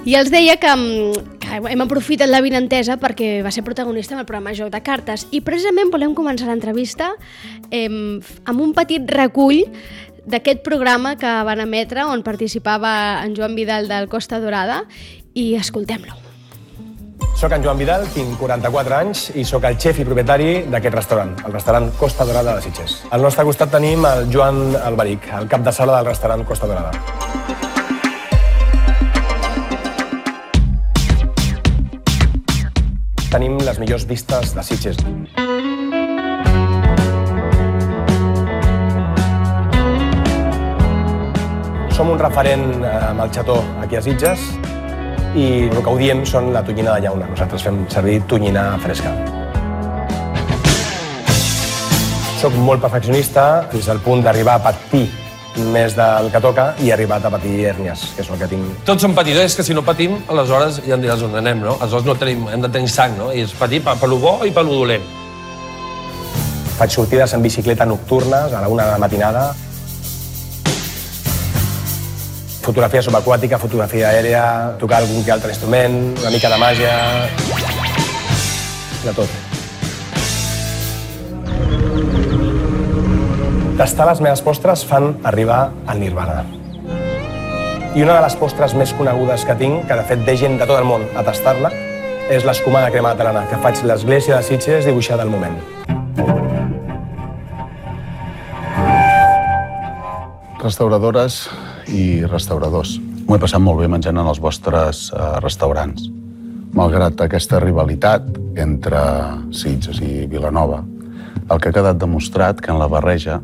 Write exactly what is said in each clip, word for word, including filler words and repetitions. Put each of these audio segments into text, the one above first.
I els deia que, que hem aprofitat l'avinentesa perquè va ser protagonista en el programa Joc de Cartes i precisament volem començar l'entrevista eh, amb un petit recull d'aquest programa que van emetre on participava en Joan Vidal del Costa Dorada i escoltem-lo. Soc en Joan Vidal, tinc quaranta-quatre anys i sóc el xef i propietari d'aquest restaurant, el restaurant Costa Dorada de Sitges. Al nostre costat tenim el Joan Alberic, el cap de sala del restaurant Costa Dorada. Tenim les millors vistes de Sitges. Som un referent amb el xató aquí a Sitges i el que ho diem són la tonyina de llauna. Nosaltres fem servir tonyina fresca. Soc molt perfeccionista fins al punt d'arribar a patir més del que toca i he arribat a patir hèrnies, que és el que tinc. Tots som patidors, que si no patim, aleshores ja em diràs on anem, no? Aleshores no tenim, hem de tenir sang, no? I és patir per, per lo bo i per lo dolent. Faig sortides en bicicleta nocturnes a la una de la matinada. Fotografia subaquàtica, fotografia aèrea, tocar algun que altre instrument, una mica de màgia... de tot. Tastar les meves postres fan arribar al nirvana. I una de les postres més conegudes que tinc, que de fet ve gent de tot el món a tastar-la, és l'escumada crema catalana, que faig l'església de Sitges dibuixada al moment. Restauradores i restauradors. M'ho he passat molt bé menjant en els vostres uh, restaurants. Malgrat aquesta rivalitat entre Sitges i Vilanova, el que ha quedat demostrat que en la barreja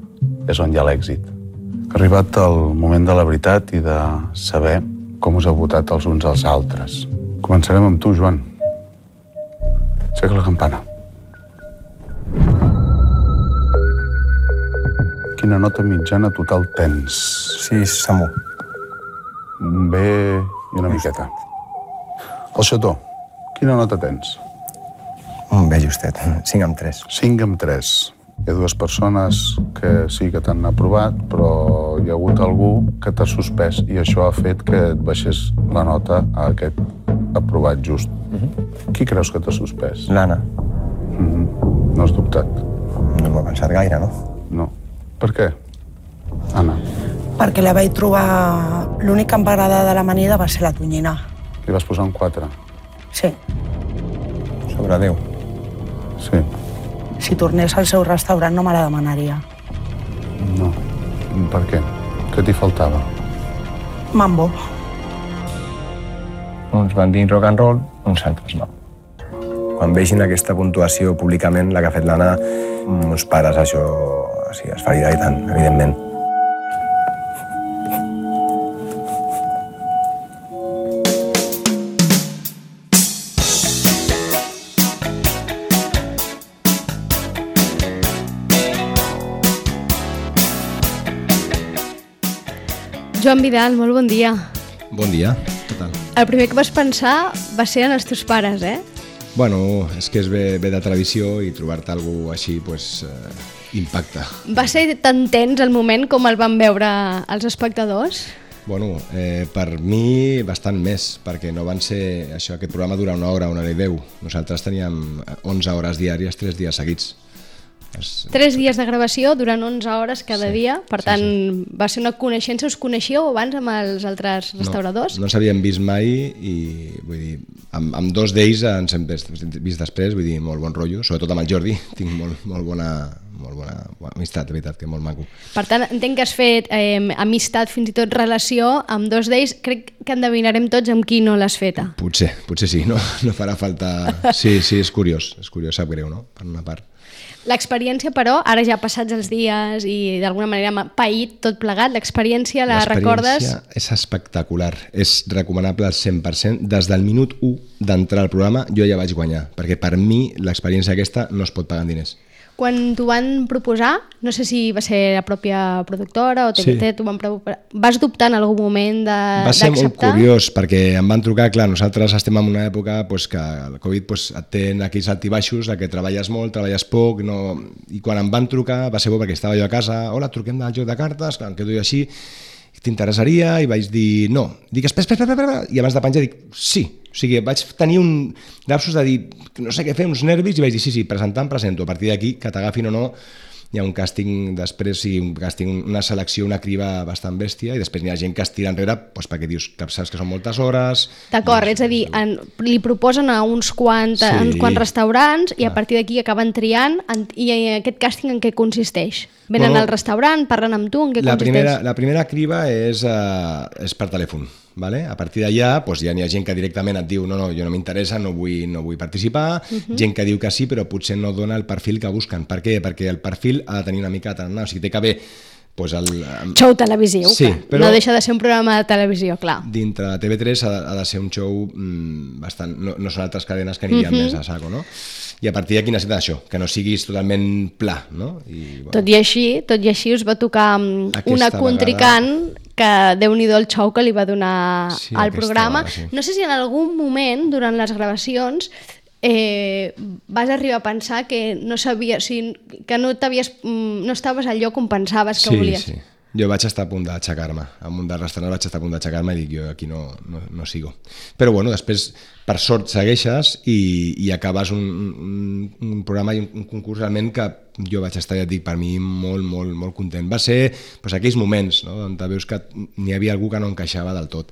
és on hi ha l'èxit. Ha arribat el moment de la veritat i de saber com us heu votat els uns als altres. Començarem amb tu, Joan. Aixeca la campana. Quina nota mitjana total tens? Sis, Samu. Un B i una miqueta. El xató, quina nota tens? Un bé justet, cinc amb tres. cinc amb tres. Hi ha dues persones que sí que t'han aprovat, però hi ha hagut algú que t'ha suspès i això ha fet que et baixés la nota a aquest aprovat just. Uh-huh. Qui creus que t'ha suspès? L'Anna. Uh-huh. No has dubtat? No m'ho he pensat gaire, no? No. Per què? Anna. Perquè la vaig trobar... L'únic que em va agradar de l'amanida va ser la tonyina. Li vas posar un quatre? Sí. Sobre deu. Sí. Si tornés al seu restaurant no me la demanaria. No. Per què? Què t'hi faltava? Mambo. Uns van dir rock and roll, uns altres no. Quan vegin aquesta puntuació públicament, la que ha fet l'Anna, uns pares això sí, es faria i tant, evidentment. Joan Vidal, molt bon dia. Bon dia, què tal? El primer que vas pensar va ser en els teus pares, eh? Bueno, és que és ve, ve de tradició i trobar-te algú així, pues, eh, impacta. Va ser tan tens el moment com el van veure els espectadors? Bueno, eh, per mi bastant més, perquè no van ser... Això, aquest programa dura una hora, una hora i deu. Nosaltres teníem onze hores diàries, tres dies seguits. Tres dies de gravació durant onze hores cada sí, dia, per tant, sí, sí. Va ser una coneixença. Us coneixíeu abans amb els altres restauradors? No, no ens havíem vist mai i, vull dir, amb, amb dos d'ells ens hem vist després, vull dir, molt bon rotllo, sobretot amb el Jordi, tinc molt, molt bona... molt bona amistat, de veritat, que molt maco. Per tant, entenc que has fet eh, amistat, fins i tot relació, amb dos d'ells. Crec que endevinarem tots amb qui no l'has feta. Potser, potser sí, no, no farà falta... Sí, sí, és curiós, és curiós, sap greu, no?, per una part. L'experiència, però, ara ja passats els dies i d'alguna manera m'ha paït tot plegat, l'experiència la recordes? L'experiència és espectacular, és recomanable al cent per cent. Des del minut u d'entrar al programa jo ja vaig guanyar, perquè per mi l'experiència aquesta no es pot pagar en diners. Quan t'ho van proposar, no sé si va ser la pròpia productora o T V T, sí. T'ho van proposar, vas dubtar en algun moment d'acceptar? Va ser molt curiós, perquè em van trucar, clar, nosaltres estem en una època pues, que el Covid pues, et té aquells altibaixos, que treballes molt, treballes poc, no... i quan em van trucar va ser bo perquè estava jo a casa, hola, truquem del joc de cartes, clar, em quedo jo així, t'interessaria? I vaig dir no. Dic, espera, espera, espera, espera, i abans de penjar dic, sí. O sigui, vaig tenir un lapsus de dir, no sé què fer, uns nervis, i vaig dir, sí, sí, presentar, em presento. A partir d'aquí, que t'agafin o no, hi ha un càsting després, sí, un càsting, una selecció, una criba bastant bèstia, i després hi ha gent que es tira enrere doncs perquè dius que saps que són moltes hores... D'acord, és a dir, en, li proposen a uns quants, sí. uns quants restaurants i a partir d'aquí acaben triant, en, i aquest càsting en què consisteix? Venen bueno, al restaurant, parlen amb tu, en què la consisteix? Primera, la primera criba és, uh, és per telèfon. Vale? A partir d'allà doncs ja n'hi ha gent que directament et diu no, no, jo no m'interessa, no vull, no vull participar, uh-huh. gent que diu que sí però potser no dona el perfil que busquen. Per què? Perquè el perfil ha de tenir una mica de tarannà, o sigui, té que haver pues, el... Show televisiu, sí, però no deixa de ser un programa de televisió, clar. Dintre de T V tres ha de, ha de ser un show mmm, bastant... No, no són altres cadenes que anirien uh-huh. més a saco, no? I a partir d'aquí necessita això, que no siguis totalment pla, no? I, bueno, tot i així, tot i així us va tocar una contrincant vegada... que Déu-n'hi-do el xou que li va donar sí, al programa. Vegada, sí. No sé si en algun moment, durant les gravacions, eh, vas arribar a pensar que no sabia, o sigui, que no t'havies, no estaves al lloc on pensaves que sí, volies. Sí, sí. Jo vaig estar a punt d'aixecar-me. En un dels restaurants vaig estar a punt d'aixecar-me i dic, jo aquí no, no, no sigo. Però bueno, després, per sort, segueixes i, i acabes un, un, un programa i un, un concurs realment que jo vaig estar, ja et dic, per mi molt, molt, molt content. Va ser doncs, aquells moments, no?, on veus que n'hi havia algú que no encaixava del tot.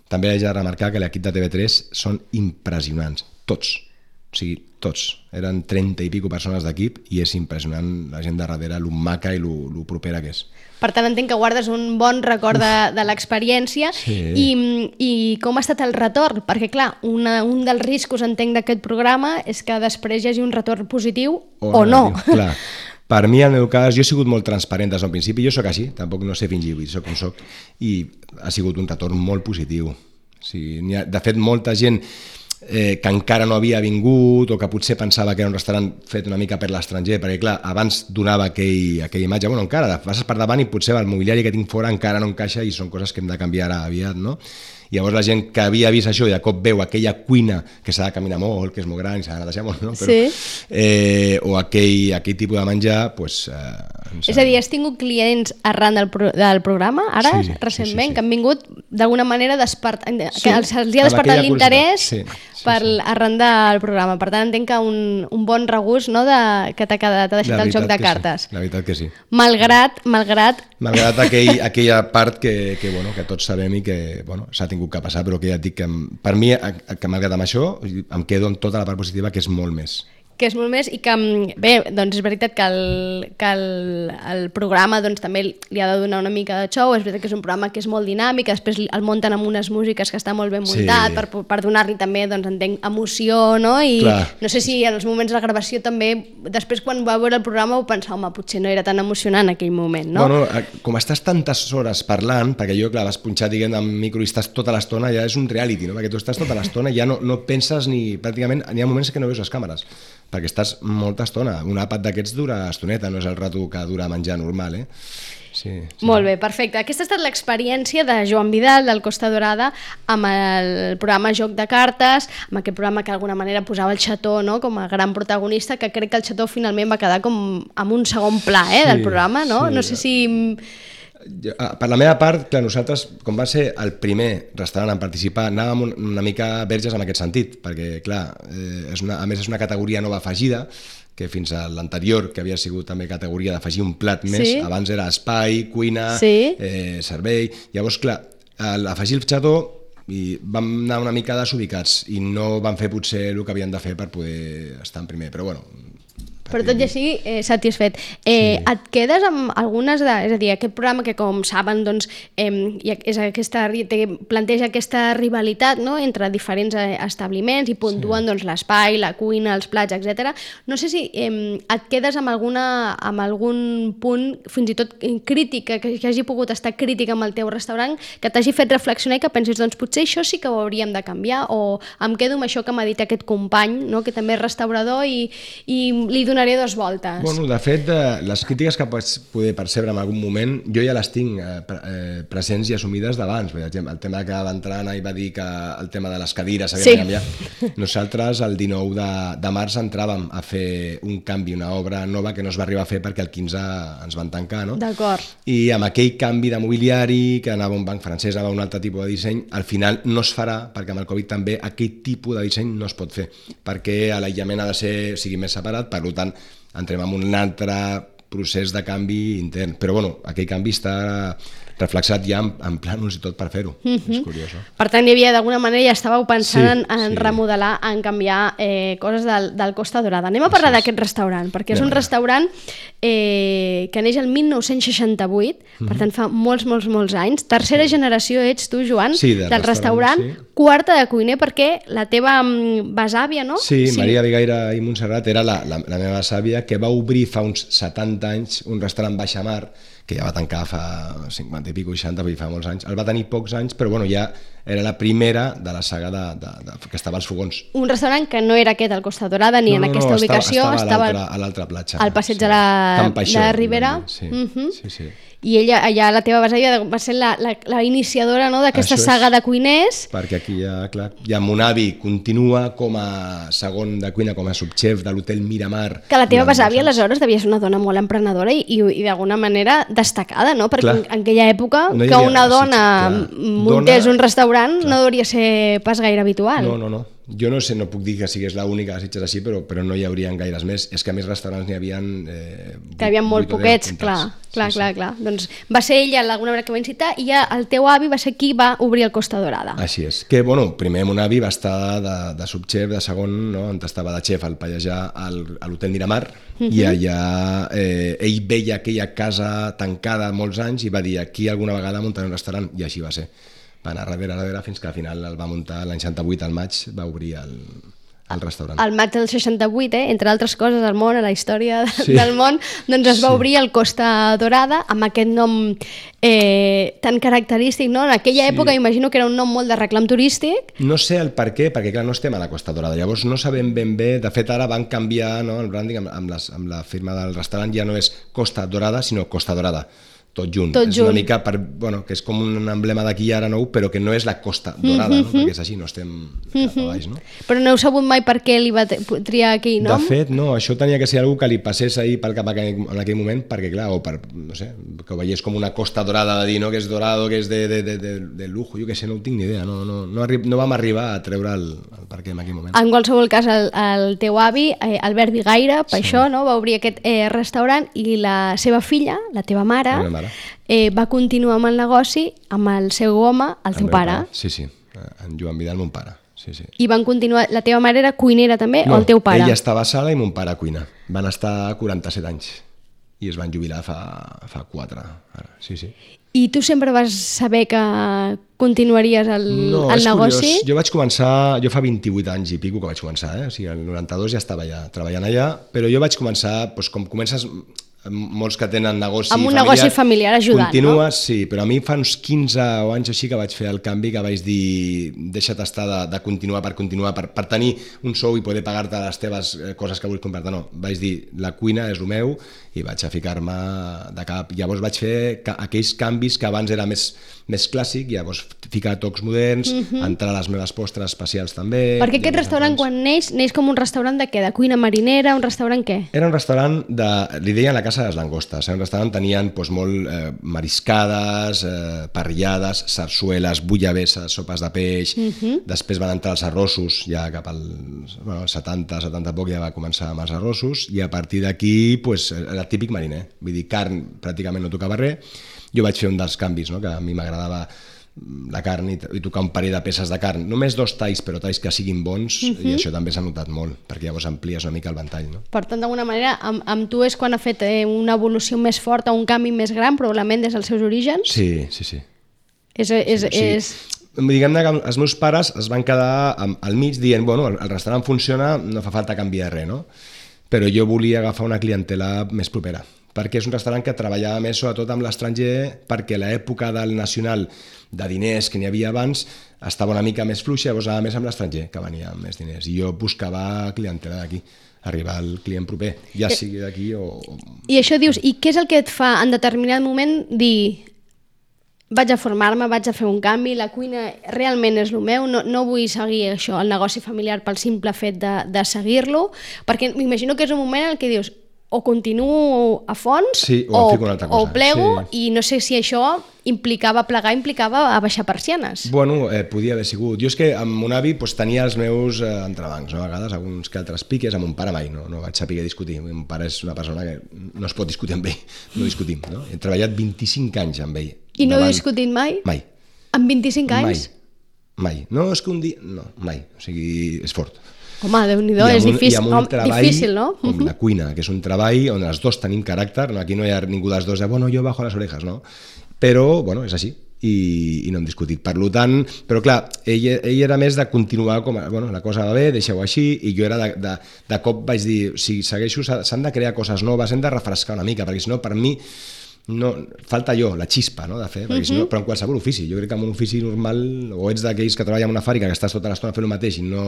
També haig de remarcar que l'equip de T V tres són impressionants, tots. O sigui, tots. Eren trenta i pico persones d'equip i és impressionant la gent de darrere, lo maca i lo, lo propera que és. Per tant, entenc que guardes un bon record de, de l'experiència sí. i, i com ha estat el retorn? Perquè, clar, una, un dels riscos, entenc, d'aquest programa és que després hi hagi un retorn positiu o, o no. Clar. Per mi, en el meu cas, jo he sigut molt transparent des del principi, jo sóc així, tampoc no sé fingir, soc com soc, i ha sigut un retorn molt positiu. O sigui, n'hi ha, de fet, molta gent eh, que encara no havia vingut o que potser pensava que era un restaurant fet una mica per l'estranger, perquè clar, abans donava aquell, aquella imatge, bueno, encara, passes per davant i potser el mobiliari que tinc fora encara no encaixa i són coses que hem de canviar ara aviat, no? I llavors la gent que havia vist això i de cop veu aquella cuina que s'ha de caminar molt, que és molt gran i s'ha de netejar molt, no? Però, sí. eh, o aquell, aquell tipus de menjar, doncs... Eh, és a dir, has tingut clients arran del, pro, del programa, ara, sí, recentment, sí, sí, sí. que han vingut d'alguna manera despert... sí, que els ha despertat l'interès sí, sí, per sí. arran del programa. Per tant, entenc que un, un bon regust, no, de, que t'ha quedat, t'ha deixat el joc de cartes. Sí. La veritat que sí. Malgrat, malgrat... Malgrat aquell, aquella part que, que, bueno, que tots sabem i que bueno, s'ha tingut que passar, però que ja et dic que per mi, que malgrat amb això, em quedo en tota la part positiva, que és molt més. Que és molt més i que, bé, doncs és veritat que el, que el, el programa doncs, també li ha de donar una mica de show, és veritat que és un programa que és molt dinàmic, després el munten amb unes músiques que està molt ben muntat, sí. per, per donar-li també, doncs, entenc, emoció, no? I clar. No sé si en els moments de la gravació també, després quan va veure el programa ho pensava, home, potser no era tan emocionant en aquell moment, no? Bueno, com estàs tantes hores parlant, perquè jo, clar, vas punxar, diguem, amb micro i estàs tota l'estona, ja és un reality, no? Perquè tu estàs tota l'estona i ja no, no penses ni, pràcticament, hi ha moments que no veus les càmeres, perquè estàs molta estona. Un àpat d'aquests dura estoneta, no és el rato que dura menjar normal, eh? Sí, sí. Molt bé, perfecte. Aquesta ha estat l'experiència de Joan Vidal, del Costa Dorada, amb el programa Joc de Cartes, amb aquest programa que d'alguna manera posava el Xató, no?, com a gran protagonista, que crec que el Xató finalment va quedar com amb un segon pla, eh, del programa, no? Sí. No sé si... Per la meva part, clar, nosaltres, com va ser el primer restaurant en participar, anàvem una mica verges en aquest sentit, perquè, clar, eh, és una, a més és una categoria nova afegida, que fins a l'anterior, que havia sigut també categoria d'afegir un plat més, sí. abans era espai, cuina, sí. eh, servei... Llavors, clar, afegir el xató i vam anar una mica desubicats i no van fer potser el que havien de fer per poder estar en primer, però bueno... Però tot i així, eh, satisfet. Eh, sí. Et quedes amb algunes de... És a dir, aquest programa que, com saben, doncs, eh, és aquesta, planteja aquesta rivalitat, no?, entre diferents establiments i puntuen sí. doncs, l'espai, la cuina, els plats, etcètera. No sé si eh, et quedes amb, alguna, amb algun punt, fins i tot crítica, que, que hagi pogut estar crítica amb el teu restaurant, que t'hagi fet reflexionar i que pensis, doncs potser això sí que ho hauríem de canviar, o em quedo amb això que m'ha dit aquest company, no?, que també és restaurador i, i li donaria donaré dos voltes. Bueno, de fet, eh, les crítiques que pots poder percebre en algun moment, jo ja les tinc eh, pre eh, presents i assumides d'abans. El tema que va entrar Anna i va dir que el tema de les cadires s'havia Sí. de canviar. Nosaltres el dinou de, de març entràvem a fer un canvi, una obra nova que no es va arribar a fer perquè el quinze ens van tancar, no? D'acord. I amb aquell canvi de mobiliari, que anava a un banc francès, anava a un altre tipus de disseny, al final no es farà, perquè amb el Covid també aquell tipus de disseny no es pot fer, perquè l'aïllament ha de ser, o sigui, més separat, per tant, entrem en un altre procés de canvi intern. Però, bueno, aquell canvi està reflexat ja en, en plànols i tot per fer-ho. Mm-hmm. És curiós, no? Per tant, hi havia d'alguna manera, ja estàveu pensant Sí, en, en sí. remodelar, en canviar eh, coses del, del Costa Dorada. Anem a parlar d'aquest restaurant, perquè és Anem un allà. restaurant eh, que neix el mil nou-cents seixanta-vuit, Mm-hmm. per tant fa molts, molts, molts anys. Tercera generació ets tu, Joan, Sí, del del restaurant. restaurant, sí. Quarta de cuiner, perquè la teva mm, besàvia, no? Sí, sí, Maria Vigaire i Montserrat era la, la, la meva sàvia, que va obrir fa uns setanta anys un restaurant Baixamar, que ja va tancar fa cinquanta i pico, seixanta, vull dir, fa molts anys. El va tenir pocs anys, però bueno, ja era la primera de la saga de, de, de, que estava als fogons. Un restaurant que no era aquest al Costa Dorada ni en aquesta estava- ubicació, estava, estava a l'altra platja. al passeig de la, Can Paixó, de la Ribera. vam dir, Sí, Mhm. sí, sí. I ella, allà la teva besàvia va ser la, la, la iniciadora, no, d'aquesta Això és. saga de cuiners. Perquè aquí ja, clar, ja mon avi continua com a segon de cuina, com a subxef de l'hotel Miramar. Que la teva durant besàvia, molts anys. aleshores, devia ser una dona molt emprenedora i, i, i d'alguna manera destacada, no? Perquè Clar. en, en aquella època No hi que havia- una sí, dona clar. muntés Dona- un restaurant clar. no hauria ser pas gaire habitual. No, no, no. Jo no sé, no puc dir que sigués l'única a Sitges així, però, però no hi haurien gaires més. És que a més restaurants n'hi havia... Eh, Que hi havia molt vuit o deu poquets, comptats. clar, clar, Sí, clar, sí. clar. Doncs va ser ella d'alguna manera que va incitar i ja el teu avi va ser qui va obrir el Costa Dorada. Així és. Que, bueno, primer mon avi va estar de, de subxef, de segon, no? On estava de xef al Pallejà al, a l'hotel Miramar, i allà eh, ell veia aquella casa tancada molts anys i va dir aquí alguna vegada muntaré un restaurant, i així va ser. Va anar darrere, darrere, fins que al final el va muntar l'any seixanta-vuit, al maig, va obrir el, el restaurant. Al maig del seixanta-vuit, eh, entre altres coses, al món, a la història de, Sí. del món, doncs es va Sí. obrir el Costa Dorada amb aquest nom eh, tan característic, no? En aquella Sí. època imagino que era un nom molt de reclam turístic. No sé el per què, perquè clar, no estem a la Costa Dorada, llavors no sabem ben bé, de fet ara van canviar, no, el branding amb, amb, les, amb la firma del restaurant, ja no és Costa Dorada, sinó Costa Dorada, tot junt. Tot és junt. una mica, per, bueno, que és com un emblema d'aquí ara nou, però que no és la Costa Dorada, no? Perquè és així, no estem cap a baix, no? Però no heu sabut mai per què li va t- triar aquell nom? De fet, no, això tenia que ser algú que li passés ahir pel cap aquell- en aquell moment, perquè clar, o per, no sé, que ho veiés com una Costa Dorada de dir, no?, que és dorado, que és de, de, de, de, de lujo, jo què sé, no ho tinc ni idea, no, no, no, arri no vam arribar a treure el, el per què en aquell moment. En qualsevol cas, el, el teu avi, eh, Albert Vigaire, per sí. això, no, va obrir aquest eh, restaurant i la seva filla, la teva mare, La meva mare. eh, va continuar amb el negoci amb el seu home, el teu meu pare. Sí, sí, en Joan Vidal, mon pare. Sí, sí. I van continuar... La teva mare era cuinera també, o el teu pare? ella estava a sala i mon pare a cuina. Van estar quaranta-set anys i es van jubilar fa, fa quatre. Ara. Sí, sí. I tu sempre vas saber que continuaries el, No, el és negoci? curiós. Jo vaig començar, jo fa vint-i-vuit anys i pico que vaig començar, eh? O sigui, el noranta-dos ja estava allà, treballant allà, però jo vaig començar, doncs, com comences molts que tenen negoci Amb un familiar, negoci familiar ajudant, continues, no? sí, però a mi fa uns quinze anys així que vaig fer el canvi, que vaig dir deixa't estar de, de continuar per continuar, per, per tenir un sou i poder pagar-te les teves eh, coses que vull comprar-te, no, vaig dir la cuina és el meu i vaig a ficar-me de cap. Llavors vaig fer ca aquells canvis que abans era més, més clàssic, llavors ficar tocs moderns, uh -huh. entrar a les meves postres especials també. Perquè aquest restaurant, quan neix, neix com un restaurant de què? De cuina marinera? Un restaurant què? Era un restaurant, de, li deien la Casa de les Langostes, era un restaurant, tenien doncs, molt eh, mariscades, eh, parrillades, sarsueles, bullabesses, sopes de peix, uh -huh. Després van entrar els arrossos, ja cap als bueno, setanta, setanta poc ja va començar amb els arrossos, i a partir d'aquí pues, era típic mariner, vull dir, carn pràcticament no tocava res. Jo vaig fer un dels canvis, no? Que a mi m'agradava la carn i, i tocar un parell de peces de carn, només dos talls, però talls que siguin bons, uh -huh. i això també s'ha notat molt, perquè llavors amplies una mica el ventall, no? Per tant, d'alguna manera, amb, amb tu és quan ha fet eh, una evolució més forta, un canvi més gran, probablement des dels seus orígens? Sí, sí, sí. És, és, Sí. és... Diguem-ne que els meus pares es van quedar al mig dient, bueno, el restaurant funciona, no fa falta canviar res, no? Però jo volia agafar una clientela més propera, perquè és un restaurant que treballava més sobretot amb l'estranger, perquè l'època del nacional de diners que n'hi havia abans estava una mica més fluixa, llavors anava més amb l'estranger, que venia amb més diners, i jo buscava clientela d'aquí. arribar al client proper, ja sigui d'aquí o... I això dius, i què és el que et fa en determinat moment dir vaig a formar-me, vaig a fer un canvi, la cuina realment és el meu, no, no vull seguir això, el negoci familiar pel simple fet de, de seguir-lo, perquè m'imagino que és un moment en què dius o continuo a fons sí, o, o, o plego sí. I no sé si això implicava plegar, implicava a baixar persianes. Bueno, eh, podia haver sigut. Jo és que amb mon avi pues, tenia els meus eh, entrebancs, no? A vegades alguns que altres piques, amb mon pare mai, no, no vaig saber discutir. Mon pare és una persona que no es pot discutir amb ell, no discutim. No? He treballat vint-i-cinc anys amb ell. I no davant... heu discutit mai? Mai. En vint-i-cinc anys? Mai, mai. No, és que un dia... No, mai. O sigui, és fort. Home, Déu-n'hi-do, és difícil, un treball, difícil, no? Com la cuina, que és un treball on els dos tenim caràcter, no? Aquí no hi ha ningú dels dos de, bueno, jo bajo les orejas, no? Però, bueno, és així, i, i no hem discutit. Per tant, però clar, ell, ell era més de continuar com, bueno, la cosa va bé, deixeu-ho així, i jo era de, de, de cop vaig dir, si segueixo, s'han de crear coses noves, hem de refrescar una mica, perquè si no, per mi, no, falta allò, la xispa, no?, de fer, perquè si no, però en qualsevol ofici, jo crec que en un ofici normal, o ets d'aquells que treballen en una fàbrica, que estàs tota l'estona fent el mateix i no...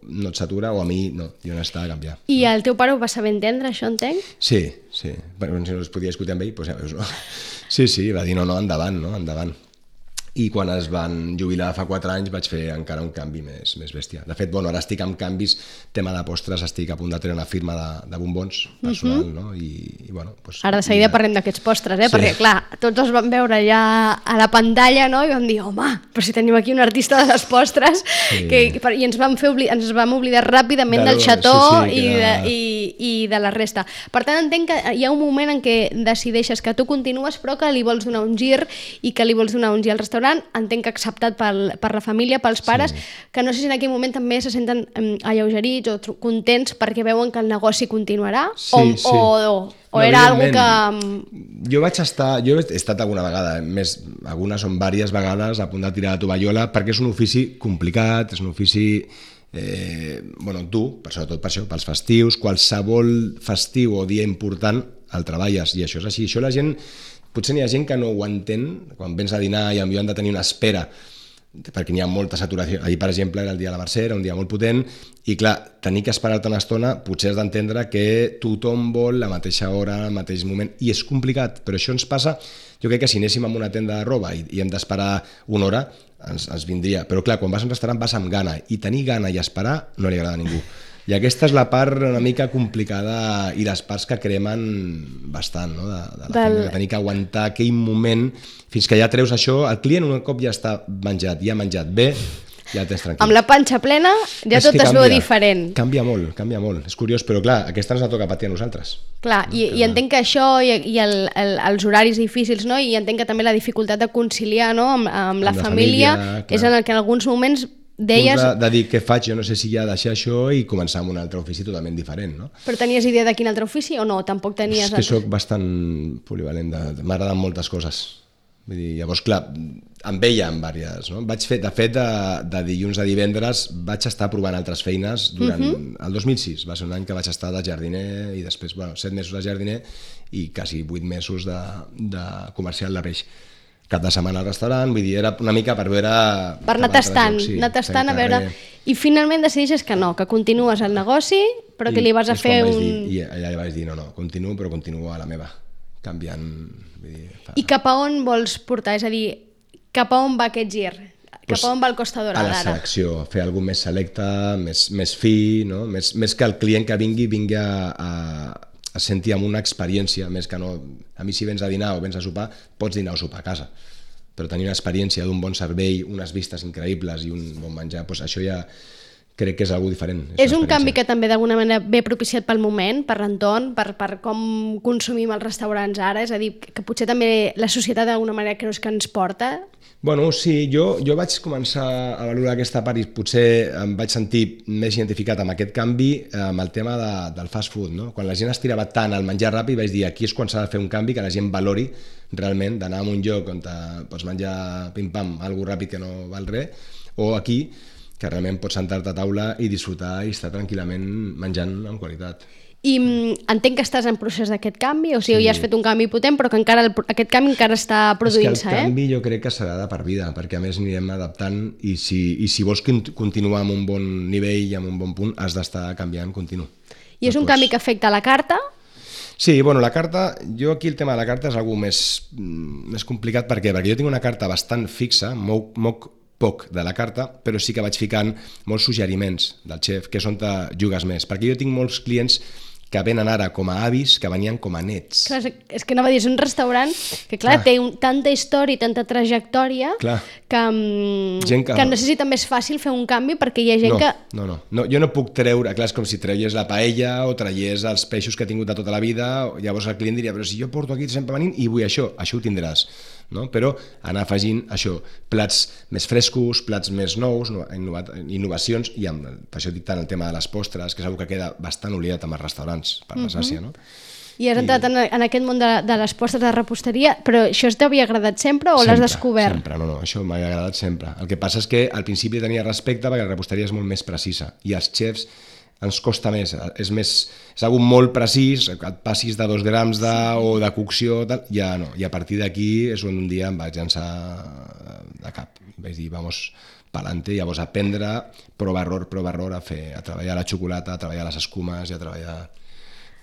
no et satura, o a mi no, jo necessitava canviar. I el teu pare ho va saber entendre, això entenc? Sí, sí. Bueno, si no es podia discutir amb ell, doncs ja veus, no? Sí, sí, va dir no, no, endavant, no, endavant. I quan es van jubilar fa quatre anys vaig fer encara un canvi més, més bèstia. De fet, bueno, ara estic amb canvis, tema de postres, estic a punt de treure una firma de, de bombons personal, uh-huh. no? I, i bueno, pues, ara de seguida ja... parlem d'aquests postres, eh? Sí. Perquè, clar, tots els vam veure ja a la pantalla, no? I vam dir, home, però si tenim aquí un artista de les postres, sí. que, i ens vam, fer obli... ens vam oblidar ràpidament de del xató sí, sí, i, de, era... i, i de la resta. Per tant, entenc que hi ha un moment en què decideixes que tu continues, però que li vols donar un gir i que li vols donar un gir al restaurant, entenc que acceptat pel, per la família, pels pares, sí. que no sé si en aquell moment també se senten um, alleugerits o contents perquè veuen que el negoci continuarà, sí, o, sí. o, o, o no, era algo que... Jo vaig estar, jo he estat alguna vegada, més, algunes o diverses vegades a punt de tirar la tovallola, perquè és un ofici complicat, és un ofici eh, bueno, dur, per sobretot per això, pels festius, qualsevol festiu o dia important el treballes, i això és així. Això la gent... Potser n'hi ha gent que no ho entén, quan vens a dinar i potser han de tenir una espera, perquè n'hi ha molta saturació. Ahir, per exemple, era el dia de la Mercè, era un dia molt potent, i clar, tenir que esperar-te una estona, potser has d'entendre que tothom vol la mateixa hora, al mateix moment, i és complicat, però això ens passa, jo crec que si anéssim a una tenda de roba i, i hem d'esperar una hora, ens, ens vindria. Però clar, quan vas a un restaurant vas amb gana, i tenir gana i esperar no li agrada a ningú. I aquesta és la part una mica complicada i les parts que cremen bastant, no? de, de la Del... feina, de tenir que aguantar aquell moment fins que ja treus això, el client un cop ja està menjat, ja ha menjat bé, ja el tens tranquil. Amb la panxa plena ja és tot es veu diferent. Canvia molt, canvia molt, és curiós, però clar, aquesta ens la toca patir a nosaltres. Clar, no? i, i entenc que això i, i el, el, els horaris difícils, no? I entenc que també la dificultat de conciliar, no? amb, amb la, amb la família, família és en el que en alguns moments deies... De, de dir què faig, jo no sé si ja deixar això i començar amb un altre ofici totalment diferent, no? Però tenies idea de quin altre ofici o no? Tampoc tenies... És que soc bastant polivalent, m'agraden moltes coses. Vull dir, llavors, clar, em veia en diverses, no? Vaig fer, de fet, de, de dilluns a divendres vaig estar provant altres feines durant uh-huh. el dos mil sis, va ser un any que vaig estar de jardiner i després, bueno, set mesos de jardiner i quasi vuit mesos de, de comercial de peix. Cap de setmana al restaurant, vull dir, era una mica per veure... Per anar tastant, sí, anar tastant a veure... I finalment decideixes que no, que continues el negoci, però que li vas a fer un... Dir, I allà vaig dir, no, no, continuo, però continuo a la meva, canviant... Vull dir, fa... I cap a on vols portar? És a dir, cap a on va aquest gir? Cap pues, a on va el Costa Dorada ara? A la selecció, fer alguna més selecte, més, més fi, no? més, més que el client que vingui, vingui a... a es senti amb una experiència, més que no... A mi si vens a dinar o vens a sopar, pots dinar o sopar a casa, però tenir una experiència d'un bon servei, unes vistes increïbles i un bon menjar, doncs això ja crec que és algo diferent. És, és un canvi que també d'alguna manera ve propiciat pel moment, per l'entorn, per, per com consumim els restaurants ara, és a dir, que potser també la societat d'alguna manera creus que ens porta? Bueno, sí, jo, jo vaig començar a valorar aquesta part i potser em vaig sentir més identificat amb aquest canvi amb el tema de, del fast food, no? Quan la gent es tirava tant al menjar ràpid vaig dir aquí és quan s'ha de fer un canvi, que la gent valori realment d'anar a un lloc on te pots menjar pim-pam, alguna ràpid que no val res, o aquí que realment pots sentar-te a taula i disfrutar i estar tranquil·lament menjant amb qualitat. I entenc que estàs en procés d'aquest canvi, o sigui, sí. ja has fet un canvi potent, però que encara el, aquest canvi encara està produint-se, eh? És que el canvi eh? jo crec que serà de per vida, perquè a més anirem adaptant i si, i si vols continuar amb un bon nivell i amb un bon punt, has d'estar canviant continu. I és un canvi que afecta la carta? Sí, bueno, la carta, jo aquí el tema de la carta és algo més, més complicat, per què? Perquè jo tinc una carta bastant fixa, moc, moc poc de la carta, però sí que vaig ficant molts suggeriments del xef, que és on te jugues més, perquè jo tinc molts clients que venen ara com a avis, que venien com a nets. Clar, és que anava a dir, és un restaurant que, clar, clar. té un, tanta història i tanta trajectòria que, que, que no sé si també és fàcil fer un canvi, perquè hi ha gent no, que... No, no, no, jo no puc treure, clar, és com si treuies la paella o traies els peixos que he tingut de tota la vida, llavors el client diria, però si jo porto aquí sempre venint i vull això, això ho tindràs. No? Però anar afegint això, plats més frescos, plats més nous, innova, innovacions, i amb, per això dic tant el tema de les postres, que és una que queda bastant oblidat amb els restaurants, per desgràcia, no? I has entrat I... en, en aquest món de, de les postres de reposteria, però això t'havia agradat sempre o l'has descobert? Sempre, no, no, això m'ha agradat sempre. El que passa és que al principi tenia respecte perquè la reposteria és molt més precisa, i els xefs ens costa més, és més, és algo molt precís, que et passis de dos grams de, o de cocció, tal, ja no, i a partir d'aquí és on un dia em vaig llançar de cap, vaig dir, vamos, pa'lante, llavors aprendre, prova error, prova error, a fer, a treballar la xocolata, a treballar les escumes i a treballar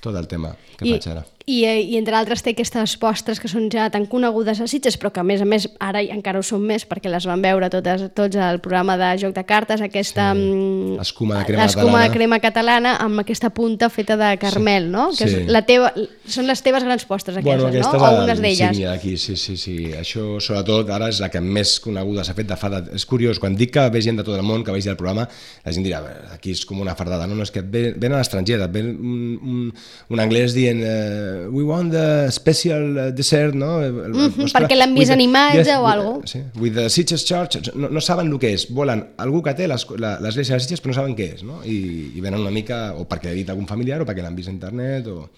tot el tema que I, faig ara. I, I entre altres té aquestes postres que són ja tan conegudes a Sitges, però que a més a més ara encara ho són més perquè les van veure totes, tots al programa de Joc de Cartes, aquesta sí. escuma de crema l'escuma catalana. de crema catalana amb aquesta punta feta de carmel, sí. no? Que sí. és la teva, són les teves grans postres aquestes, bueno, aquestes no? O unes d'elles. Aquí, sí, sí, sí. Això sobretot ara és la que més coneguda s'ha fet de fa de... És curiós, quan dic que ve gent de tot el món que vegi el programa, la gent dirà, aquí és com una fardada, no, no és que ven a l'estranger, ven un, un, un anglès dient uh, we want the special dessert, no? El, mm-hmm, perquè l'han vist en imatge yes, o alguna cosa. Sí, with the Sitges Church, no, no saben el que és, volen algú que té l'església de Sitges però no saben què és, no? I, i venen una mica, o perquè ha dit algun familiar o perquè l'han vist a internet, o...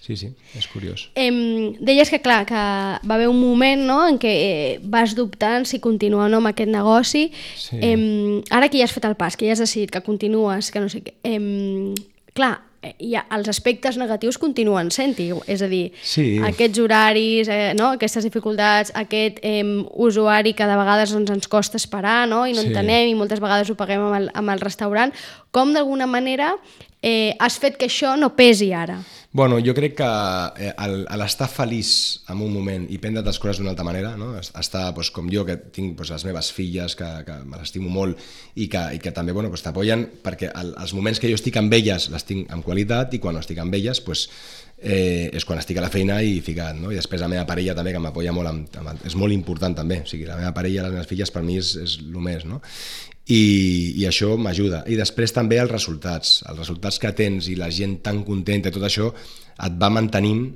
Sí, sí, és curiós. Eh, deies que, clar, que va haver un moment, no?, en què eh, vas dubtant si continuar o no amb aquest negoci. Sí. Eh, ara que ja has fet el pas, que ja has decidit que continues, que no sé què... Eh, clar, i els aspectes negatius continuen sent-hi, és a dir, sí. aquests horaris, eh, no? aquestes dificultats, aquest eh, usuari que de vegades doncs, ens costa esperar, no? I no sí. entenem, i moltes vegades ho paguem amb el, amb el restaurant, com d'alguna manera eh, has fet que això no pesi ara? Bueno, jo crec que eh, l'estar feliç en un moment i prendre les coses d'una altra manera, no? Estar doncs, com jo, que tinc doncs, les meves filles, que, que me l'estimo molt i que, i que també bueno, doncs, t'apoyen, perquè el, els moments que jo estic amb elles les tinc amb qualitat i quan no estic amb elles doncs, eh, és quan estic a la feina i ficat, no? I després la meva parella també, que m'apoya molt, amb, amb, és molt important també, o sigui, la meva parella i les meves filles per mi és, és el més, no? I, i això m'ajuda. I després també els resultats, els resultats que tens i la gent tan contenta i tot això et va mantenint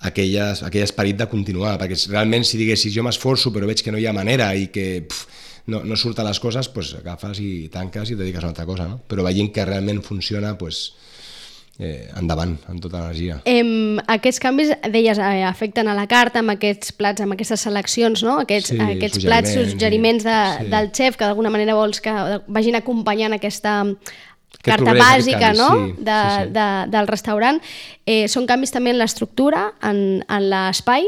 aquelles, aquell esperit de continuar, perquè realment si diguessis jo m'esforço però veig que no hi ha manera i que pf, no, no surten les coses, doncs agafes i tanques i et dediques a una altra cosa, no? Però veient que realment funciona, doncs Eh, endavant, amb tota l'energia. Eh, aquests canvis, deies, eh, afecten a la carta amb aquests plats, amb aquestes seleccions, no? Aquests, sí, aquests plats, suggeriments de, sí. del xef, que d'alguna manera vols que vagin acompanyant aquesta carta bàsica, no? Sí, de, sí, sí. De, del restaurant. Eh, són canvis també en l'estructura, en, en l'espai?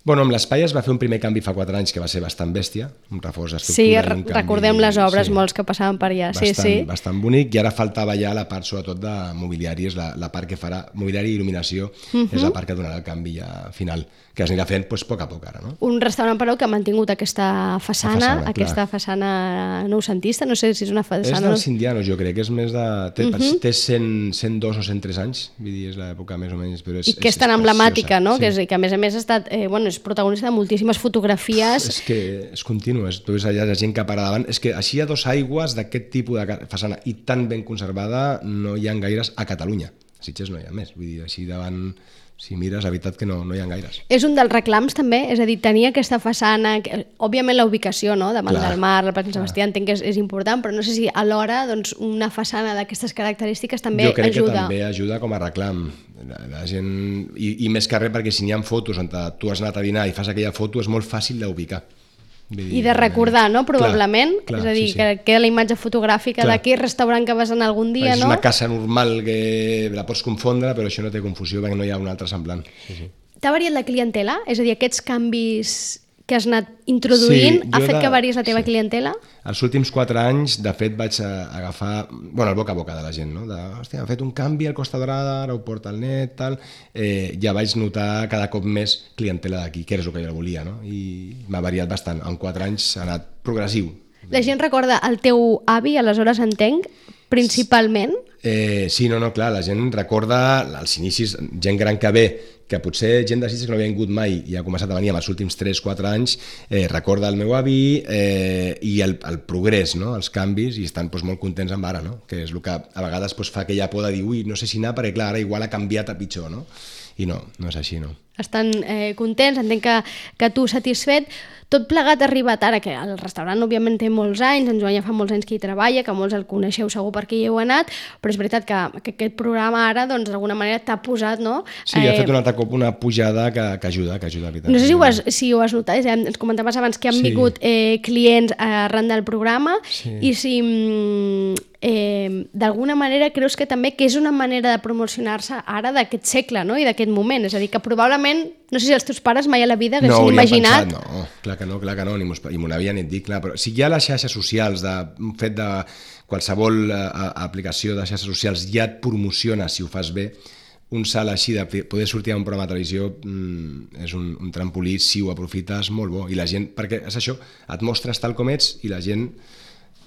Bueno, amb l'espai es va fer un primer canvi fa quatre anys que va ser bastant bèstia, un reforç d'estructura. Sí, i un canvi, recordem les obres, sí, molts que passaven per allà. Bastant, sí, sí. bastant bonic, i ara faltava ja la part sobretot de mobiliari, és la, la part que farà, mobiliari i il·luminació, uh-huh. és la part que donarà el canvi ja final, que es anirà fent pues, a poc a poc ara. No? Un restaurant, però, que ha mantingut aquesta façana, façana aquesta clar. façana noucentista, no sé si és una façana... És dels indianos, jo crec, és més de... Té, uh-huh. té cent, cent dos o cent tres anys, vull dir, és l'època més o menys, però és, I que és, és tan és emblemàtica, no? Sí. Que, és, que a més a més ha estat, eh, bueno, és protagonista de moltíssimes fotografies. És que és continu, és, tu veus allà la gent que para davant, és que així a dos aigües d'aquest tipus de façana i tan ben conservada no hi ha gaires a Catalunya, a Sitges no hi ha més, vull dir, així davant... Si mires, la veritat que no, no hi ha gaires. És un dels reclams també, és a dir, tenir aquesta façana, que, òbviament la ubicació, no? Davant clar, del mar, la Plaça Sant Sebastià, entenc que és, és important, però no sé si alhora doncs, una façana d'aquestes característiques també ajuda. Jo crec ajuda. que també ajuda com a reclam. La, la gent, i, i més que res perquè si n'hi ha fotos on tu has anat a dinar i fas aquella foto és molt fàcil d'ubicar. I de recordar, no?, probablement. Clar, clar, és a dir, sí, sí. que queda la imatge fotogràfica clar. D'aquest restaurant que vas anar algun dia, és no? És una casa normal que la pots confondre, però això no té confusió perquè no hi ha un altre semblant. Sí, sí. T'ha variat la clientela? És a dir, aquests canvis que has anat introduint sí, ha fet de... que varies la teva sí. clientela? Els últims quatre anys, de fet, vaig agafar bueno, el boca a boca de la gent, no? De, hòstia, ha fet un canvi al Costa Dorada, ara ho porta al net, tal... Eh, ja vaig notar cada cop més clientela d'aquí, que és el que jo volia, no? I m'ha variat bastant. En quatre anys ha anat progressiu. La gent recorda el teu avi, aleshores entenc, principalment? Eh, sí, no, no, clar, la gent recorda els inicis, gent gran que ve, que potser gent de Sitges que no havia vingut mai i ha començat a venir en els últims tres quatre anys, eh, recorda el meu avi eh, i el, el progrés, no? Els canvis, i estan doncs, molt contents amb ara, no? Que és el que a vegades doncs, fa aquella por de dir ui, no sé si anar, perquè clar, ara igual ha canviat a pitjor, no? I no, no és així, no. Estan eh, contents, entenc que, que tu satisfet. Tot plegat ha arribat ara, que el restaurant òbviament té molts anys, en Joan ja fa molts anys que hi treballa, que molts el coneixeu segur perquè hi heu anat, però és veritat que, que aquest programa ara, doncs, d'alguna manera t'ha posat, no? Sí, eh... ha fet un altre cop una pujada que, que ajuda, que ajuda. No sé si ho has, si ho has notat, eh? Ens comentaves abans que han sí. vingut eh, clients arran del programa, sí. i si eh, d'alguna manera creus que també que és una manera de promocionar-se ara d'aquest segle, no? I d'aquest moment, és a dir, que probablement, no sé si els teus pares mai a la vida haguessin no, imaginat... Pensat, no, clar que no, clar que no, ni m'ho n'havien dit, clar, però si hi ha les xarxes socials, de, un fet de qualsevol uh, aplicació de xarxes socials ja et promociona si ho fas bé, un salt així de poder sortir a un programa de televisió mm, és un, un trampolí si ho aprofites molt bo, i la gent, perquè és això, et mostres tal com ets i la gent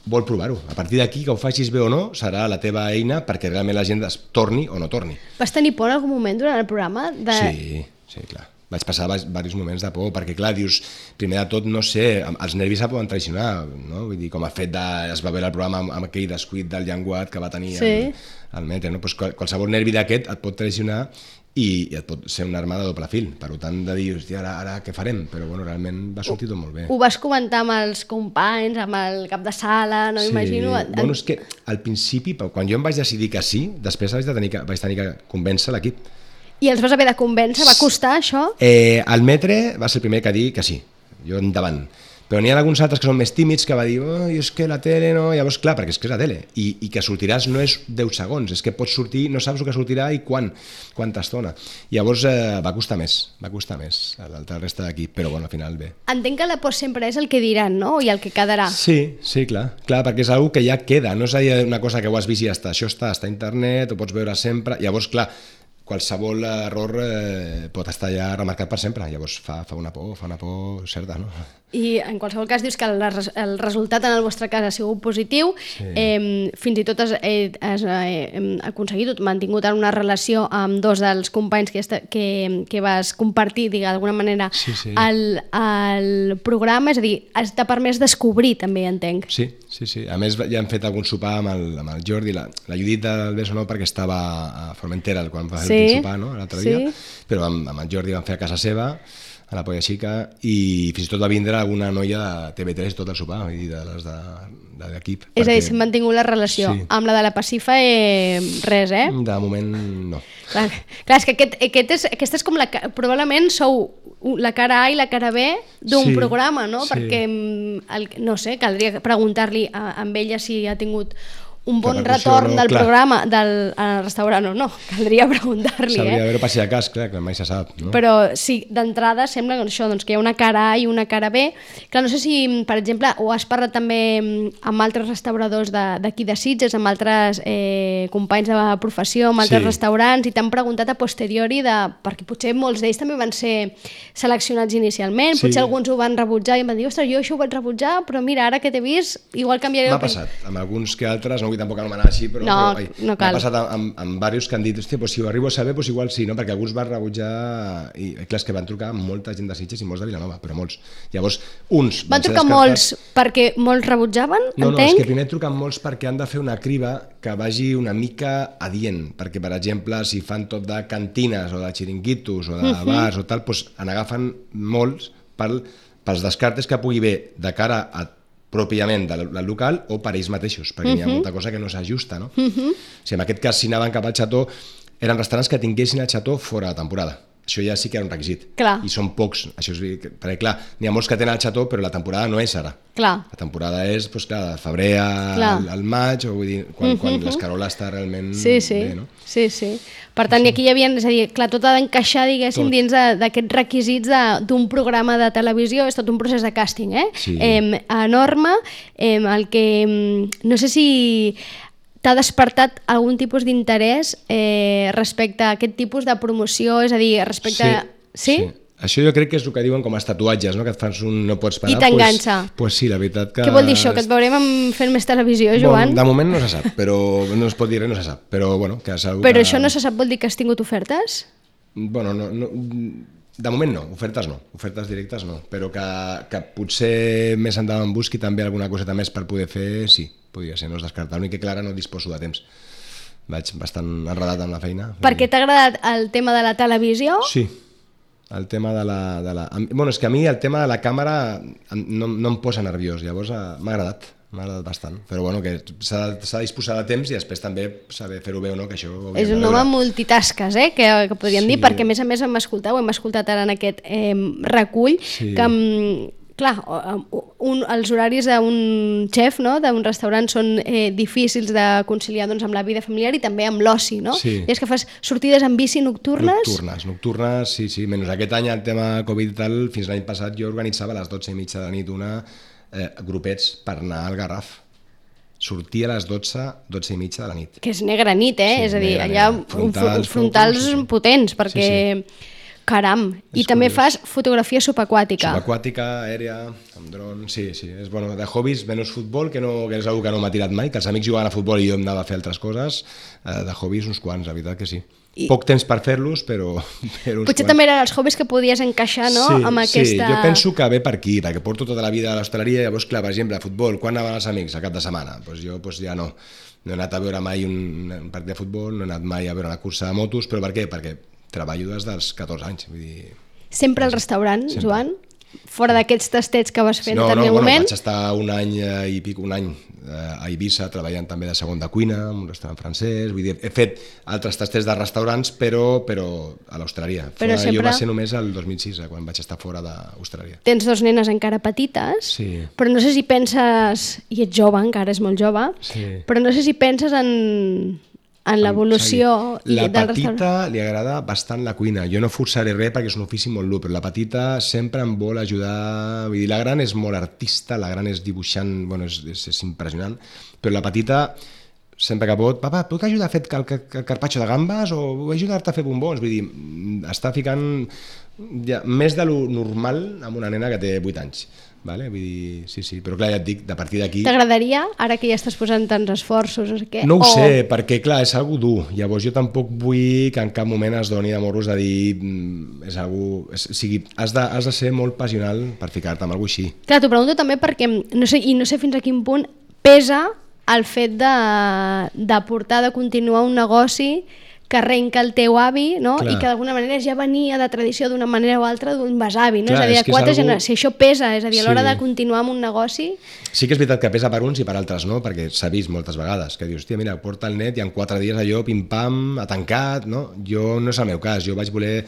vol provar-ho. A partir d'aquí, que ho facis bé o no, serà la teva eina perquè realment la gent es torni o no torni. Vas tenir por en algun moment durant el programa? De... Sí, sí, clar. Vaig passar diversos moments de por, perquè clar, dius, primer de tot, no sé, els nervis se poden traicionar, no? Vull dir, com ha fet de... es va veure el programa amb, amb aquell descuit del llenguat que va tenir sí. el, el Metre, no? Pues qualsevol nervi d'aquest et pot traicionar i, i et pot ser una arma de doble fil, per tant de dir, hòstia, ara, ara què farem? Però bueno, realment va sortir tot molt bé. Ho vas comentar amb els companys, amb el cap de sala, no sí. imagino? Bueno, és que al principi, quan jo em vaig decidir que sí, després vaig tenir que, vaig tenir que convèncer l'equip. I els vas haver de convèncer? Va costar això? Eh, el Metre va ser el primer que dir que sí, jo endavant. Però n'hi ha alguns altres que són més tímids que va dir oh, és que la tele no... Llavors, clar, perquè és que és la tele. I, i que sortiràs no és deu segons, és que pots sortir, no saps el que sortirà i quan, quanta estona. Llavors eh, va costar més, va costar més l'altra resta d'equip, però bueno, al final bé. Entenc que la por sempre és el que diran, no? I el que quedarà. Sí, sí, clar, clar, perquè és una que ja queda, no és una cosa que ho has vist i ja està, això està, està a internet, ho pots veure sempre, llavors, clar, qualsevol error eh, pot estar ja remarcat per sempre, llavors fa, fa una por, fa una por certa, no? I en qualsevol cas dius que el, el resultat en el vostre cas ha sigut positiu, sí. eh, fins i tot has, eh, has eh, aconseguit, mantingut una relació amb dos dels companys que, que, que vas compartir, d'alguna manera, sí, sí. El, el programa, és a dir, t'ha permès descobrir també, entenc. Sí, sí, sí. A més ja hem fet algun sopar amb el, amb el Jordi, la, la Judit del Beso no, perquè estava a Formentera quan va fer sí. el sopar, no?, l'altre sí. dia, però amb, amb el Jordi vam fer a casa seva, a la Polla Xica, i fins i tot va vindre alguna noia de T V tres tot el sopar, vull dir, de les de, de l'equip. És perquè... a dir, s'ha mantingut la relació. Sí. Amb la de la Pacifa, eh, res, eh? De moment, no. Clar, clar és que aquest, aquest és, aquesta és com la... Probablement sou la cara A i la cara B d'un sí, programa, no? Sí. Perquè, el, no sé, caldria preguntar-li a, a ella si ha tingut un bon retorn no, del clar. programa del al restaurant o no, caldria preguntar-li. S'hauria eh? d'haver passat a cas, clar, que mai se sap. No? Però sí, d'entrada sembla que, això, doncs, que hi ha una cara A i una cara B. Clar, no sé si, per exemple, ho has parlat també amb altres restauradors d'aquí de, de Sitges, amb altres eh, companys de professió, amb altres sí. restaurants, i t'han preguntat a posteriori, de, perquè potser molts d'ells també van ser seleccionats inicialment, sí. potser alguns ho van rebutjar i em van dir, ostres, jo això ho vaig rebutjar, però mira, ara que t'he vist, igual canviaré... M'ha passat, amb alguns que altres, no vull tampoc anomenar així, però, no, però ai, no cal. M'ha passat amb, amb diversos que han dit, hòstia, pues, si ho arribo a saber, pues, igual sí, no? Perquè alguns van rebutjar, i clar, és que van trucar molta gent de Sitges i molts de Vilanova, però molts. Llavors, uns van, van trucar molts perquè molts rebutjaven, no, entenc? No, és que primer truquen molts perquè han de fer una criba que vagi una mica adient, perquè, per exemple, si fan tot de cantines o de xiringuitos o de uh-huh. bars o tal, doncs en agafen molts pel, pels descartes que pugui haver de cara a pròpiament del, del local o per ells mateixos, perquè uh-huh. hi ha molta cosa que no s'ajusta, no? Uh-huh. O sigui, en aquest cas, si anaven cap al xató, eren restaurants que tinguessin el xató fora de temporada. això ja sí que era un requisit. Clar. I són pocs. Això és, perquè, clar, n'hi ha molts que tenen el xató, però la temporada no és ara. Clar. La temporada és, doncs, clar, de febrer al, al maig, o vull dir, quan, quan uh -huh. l'escarola està realment sí, sí. bé, no? Sí, sí. Per tant, sí. Aquí hi havia, és a dir, clar, tot ha d'encaixar, diguéssim, tot. Dins d'aquests requisits d'un programa de televisió, és tot un procés de càsting, eh? Sí. Eh, enorme, eh, el que, no sé si t'ha despertat algun tipus d'interès eh, respecte a aquest tipus de promoció, és a dir, respecte... Sí, a... sí? sí. Això jo crec que és el que diuen com els tatuatges, no? Que et fas un no pots parar. I t'enganxa. Pues, pues sí, la veritat que... Què vol dir això? Que et veurem fent més televisió, Joan? Bon, de moment no se sap, però no es pot dir res, no se sap. Però, bueno, que segur Però que... això no se sap, vol dir que has tingut ofertes? Bueno, no, no, de moment no, ofertes no, ofertes directes no, però que, que potser més endavant busqui també alguna coseta més per poder fer, sí, podria ser, no es descarta. L'únic que, clar, ara no disposo de temps. Vaig bastant enredat amb la feina. Per què t'ha agradat el tema de la televisió? Sí, el tema de la... De la... Bueno, és que a mi el tema de la càmera no, no em posa nerviós, llavors m'ha agradat, m'ha agradat bastant. Però bueno, que s'ha de disposar de temps i després també saber fer-ho bé o no, que això... És un home multitasques, eh? Que, que podríem sí. dir, perquè a més a més hem escoltat, ho hem escoltat ara en aquest eh, recull, sí. que... Clar, un, els horaris d'un xef, no? D'un restaurant són eh, difícils de conciliar doncs, amb la vida familiar i també amb l'oci, no? Sí. I és que fas sortides en bici nocturnes? Nocturnes, nocturnes, sí, sí. Menys aquest any, el tema Covid i tal, fins l'any passat jo organitzava a les dotze i mitja de la nit una eh, grupets per anar al Garraf. Sortia a les dotze, dotze i mitja de la nit. Que és negra nit, eh? Sí, és a dir, negra, allà negra. Frontals, frontals focus, sí, sí. potents, perquè... Sí, sí. Caram, i és també curiós. fas fotografia subaquàtica. Subaquàtica, aèria, amb dron, sí, sí. És, bueno, de hobbies, menys futbol, que, no, que és una que no m'ha tirat mai, que els amics jugaven a futbol i jo em anava a fer altres coses, eh, de hobbies uns quants, la veritat que sí. I... Poc temps per fer-los, però, però uns Potser quants. també eren els hobbies que podies encaixar, no?, sí, amb aquesta... Sí, jo penso que ve per aquí, perquè porto tota la vida a l'hostaleria, llavors, clar, per exemple, a futbol, quan anaven els amics? A cap de setmana? Pues jo pues ja no. No he anat a veure mai un, un partit de futbol, no he anat mai a veure una cursa de motos, però per què? Perquè treballo des dels catorze anys, vull dir... Sempre al restaurant, Sempre. Joan? Fora d'aquests tastets que vas fer en no, determinat no, bueno, moment? Vaig estar un any i pico, un any a Eivissa treballant també de segon de cuina, en un restaurant francès, vull dir, he fet altres tastets de restaurants, però, però a l'hostaleria. Sempre... Jo va ser només el dos mil sis, quan vaig estar fora d'hostaleria. Tens dos nenes encara petites, sí. Però no sé si penses, i ets jove, encara és molt jove, sí. Però no sé si penses en... en l'evolució la del petita restaurant. li agrada bastant la cuina, jo no forçaré res perquè és un ofici molt dur, però la petita sempre em vol ajudar, vull dir, la gran és molt artista, la gran és dibuixant, bueno, és, és, és impressionant, però la petita sempre que pot, papa, puc ajudar a fer el, el, el carpaccio de gambes o vull ajudar-te a fer bombons, vull dir, està ficant ja, més de lo normal amb una nena que té vuit anys. Vale? Vull dir, sí, sí, però clar, ja et dic, de partir d'aquí... T'agradaria, ara que ja estàs posant tants esforços, o què? No ho o... sé, perquè clar, és algo dur, llavors jo tampoc vull que en cap moment es doni de morros de dir és algo... És, o sigui, has de, has de ser molt passional per ficar-te amb alguna cosa així. Clar, t'ho pregunto també perquè, no sé, i no sé fins a quin punt pesa el fet de, de portar, de continuar un negoci que arrenca el teu avi, no? I que d'alguna manera ja venia de tradició d'una manera o altra d'un besavi, no? Clar, és a dir, és a quatre algo... generacions, si això pesa, és a dir, a l'hora Sí. de continuar amb un negoci... Sí que és veritat que pesa per uns i per altres, no? Perquè s'ha vist moltes vegades, que dius, hòstia, mira, porta el net i en quatre dies allò, pim-pam, ha tancat, no? Jo no és el meu cas, jo vaig voler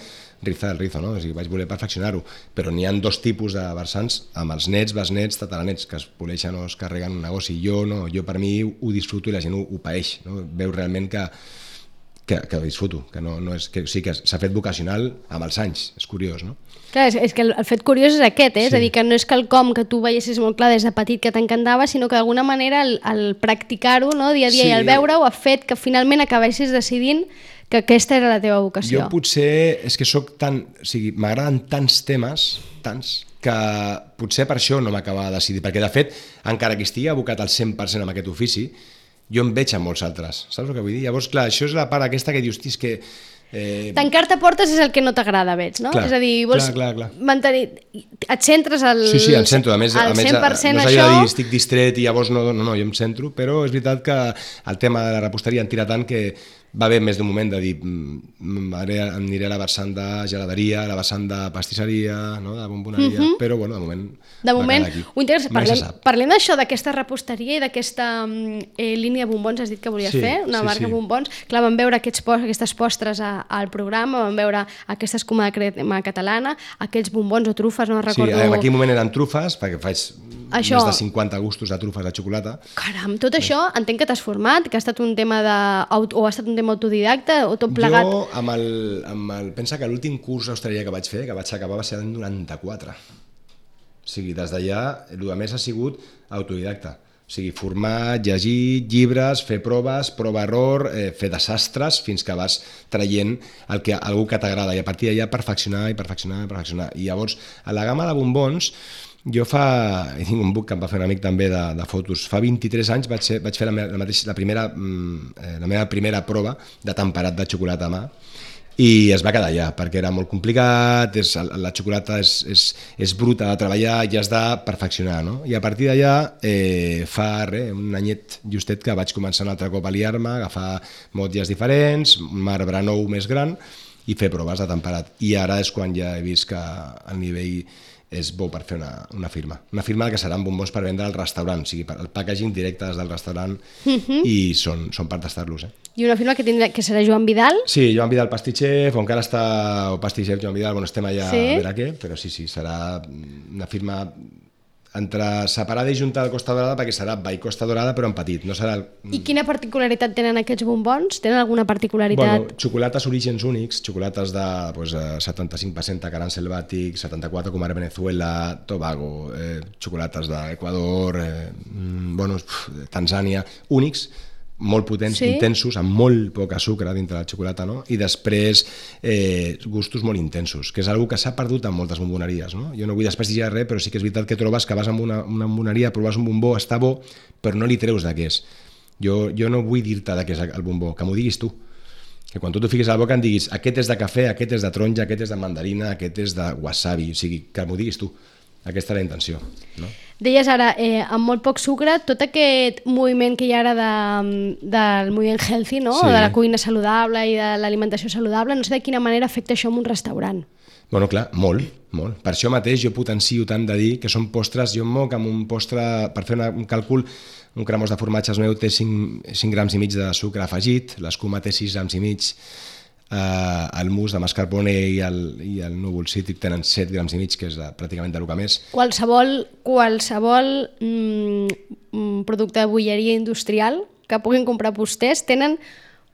rizar el rizo, no? O sigui, vaig voler perfeccionar-ho, però n'hi ha dos tipus de versants, amb els nets, besnets, tataranets, que es poleixen o es carreguen un negoci. Jo no, jo per mi ho disfruto i la gent ho, ho paeix, no? Veu realment que que, que ho disfruto, que no, no és, que sí que s'ha fet vocacional amb els anys, és curiós, no? Clar, és, és que el, el fet curiós és aquest, eh? Sí. És a dir, que no és quelcom que tu veiessis molt clar des de petit que t'encantava, sinó que d'alguna manera el, el practicar-ho, no? Dia a dia, sí. I el veure-ho ha fet que finalment acabessis decidint que aquesta era la teva vocació. Jo potser és que soc tan... O sigui, m'agraden tants temes, tants, que potser per això no m'acabava de decidir, perquè de fet, encara que estigui abocat al cent per cent en aquest ofici, jo em veig en molts altres, saps el que vull dir? Llavors, clar, això és la part aquesta que dius, és que... Eh... Tancar-te portes és el que no t'agrada, veig, no? Clar, és a dir, vols clar, clar, clar. mantenir... Et centres al, sí, sí, em centro. A més, al a més, cent per cent no és això... allò de dir, estic distret i llavors no, no, no, jo em centro, però és veritat que el tema de la reposteria em tira tant que va haver més d'un moment de dir em aniré a la vessant de geladeria, a la vessant de pastisseria, no? De bomboneria, uh-huh. però bueno, de moment de moment, ho interessa, Mai se parlem, sap. parlem d'això, d'aquesta reposteria i d'aquesta eh, línia de bombons, has dit que volies Sí, fer, una sí, marca sí. bombons. Clar, vam veure aquests, pos- aquestes postres a, al programa, vam veure aquesta escuma de crema catalana, aquells bombons o trufes, no Sí, recordo... en aquell moment eren trufes, perquè faig Això- més de cinquanta gustos de trufes de xocolata. Caram, tot això entenc que t'has format, que ha estat un tema de, o ha estat un tema autodidacta, o tot plegat... Jo, amb el, amb el, pensa que l'últim curs d'hostaleria que vaig fer, que vaig acabar, va ser l'any noranta-quatre. O sigui, des d'allà, el que més ha sigut autodidacta. O sigui, formar, llegir, llibres, fer proves, prova-error, eh, fer desastres, fins que vas traient el que, algú que t'agrada. I a partir d'allà perfeccionar i perfeccionar i perfeccionar. I llavors, a la gamma de bombons, jo fa, he tingut un book que em va fer un amic també de, de fotos, fa vint-i-tres anys vaig, ser, vaig fer la, meva, la, mateixa, la, primera, eh, la meva primera prova de temperat de xocolata a mà i es va quedar allà, perquè era molt complicat, és, la xocolata és, és, és bruta de treballar i has de perfeccionar, no? I a partir d'allà, eh, fa re, un anyet justet que vaig començar un altre cop a liar-me, agafar motlles diferents, un marbre nou més gran i fer proves de temperat. I ara és quan ja he vist que el nivell és bo per fer una, una firma. Una firma que seran bombons per vendre al restaurant, o sigui, el packaging directe des del restaurant uh-huh. i són, són per tastar-los. Eh? I una firma que, tindrà, que serà Joan Vidal? Sí, Joan Vidal Pastitxef, o encara està o Pastitxef Joan Vidal, bueno, estem allà sí? a veure què, però sí, sí, serà una firma entre separada i junta de Costa Dorada, perquè serà Vall Costa Dorada, però en petit. No serà el... I quina particularitat tenen aquests bombons? Tenen alguna particularitat? Bueno, xocolates orígens únics, xocolates de pues, setanta-cinc per cent Acarán Selvatic, setanta-quatre com ara Venezuela, Tobago, eh, xocolates d'Equador, eh, bueno, Tanzània, únics, molt potents, sí? intensos, amb molt poc sucre dintre la xocolata, no? I després eh, gustos molt intensos, que és una que s'ha perdut en moltes bomboneries, no? Jo no vull desprestigiar res, però sí que és veritat que trobes que vas a una, una bomboneria, proves un bombó, està bo, però no li treus de què és. Jo, jo no vull dir-te de què és el bombó, que m'ho diguis tu. Que quan tu t'ho fiquis a la boca em diguis aquest és de cafè, aquest és de taronja, aquest és de mandarina, aquest és de wasabi, o sigui, que m'ho diguis tu. Aquesta és la intenció, no? Deies ara, eh, amb molt poc sucre, tot aquest moviment que hi ha ara de, del moviment healthy, no? Sí. De la cuina saludable i de l'alimentació saludable, no sé de quina manera afecta això en un restaurant. Bueno, clar, molt, molt. Per això mateix jo potencio tant de dir que són postres, jo em moc amb un postre, per fer una, un càlcul, un cremós de formatges meu té cinc, cinc grams i mig de sucre afegit, l'escuma té sis grams i mig, Uh, el mousse de mascarpone i el, i el núvol cítric tenen set grams i mig, que és uh, pràcticament del que més. Qualsevol, qualsevol mm, producte de bolleria industrial que puguin comprar vostès tenen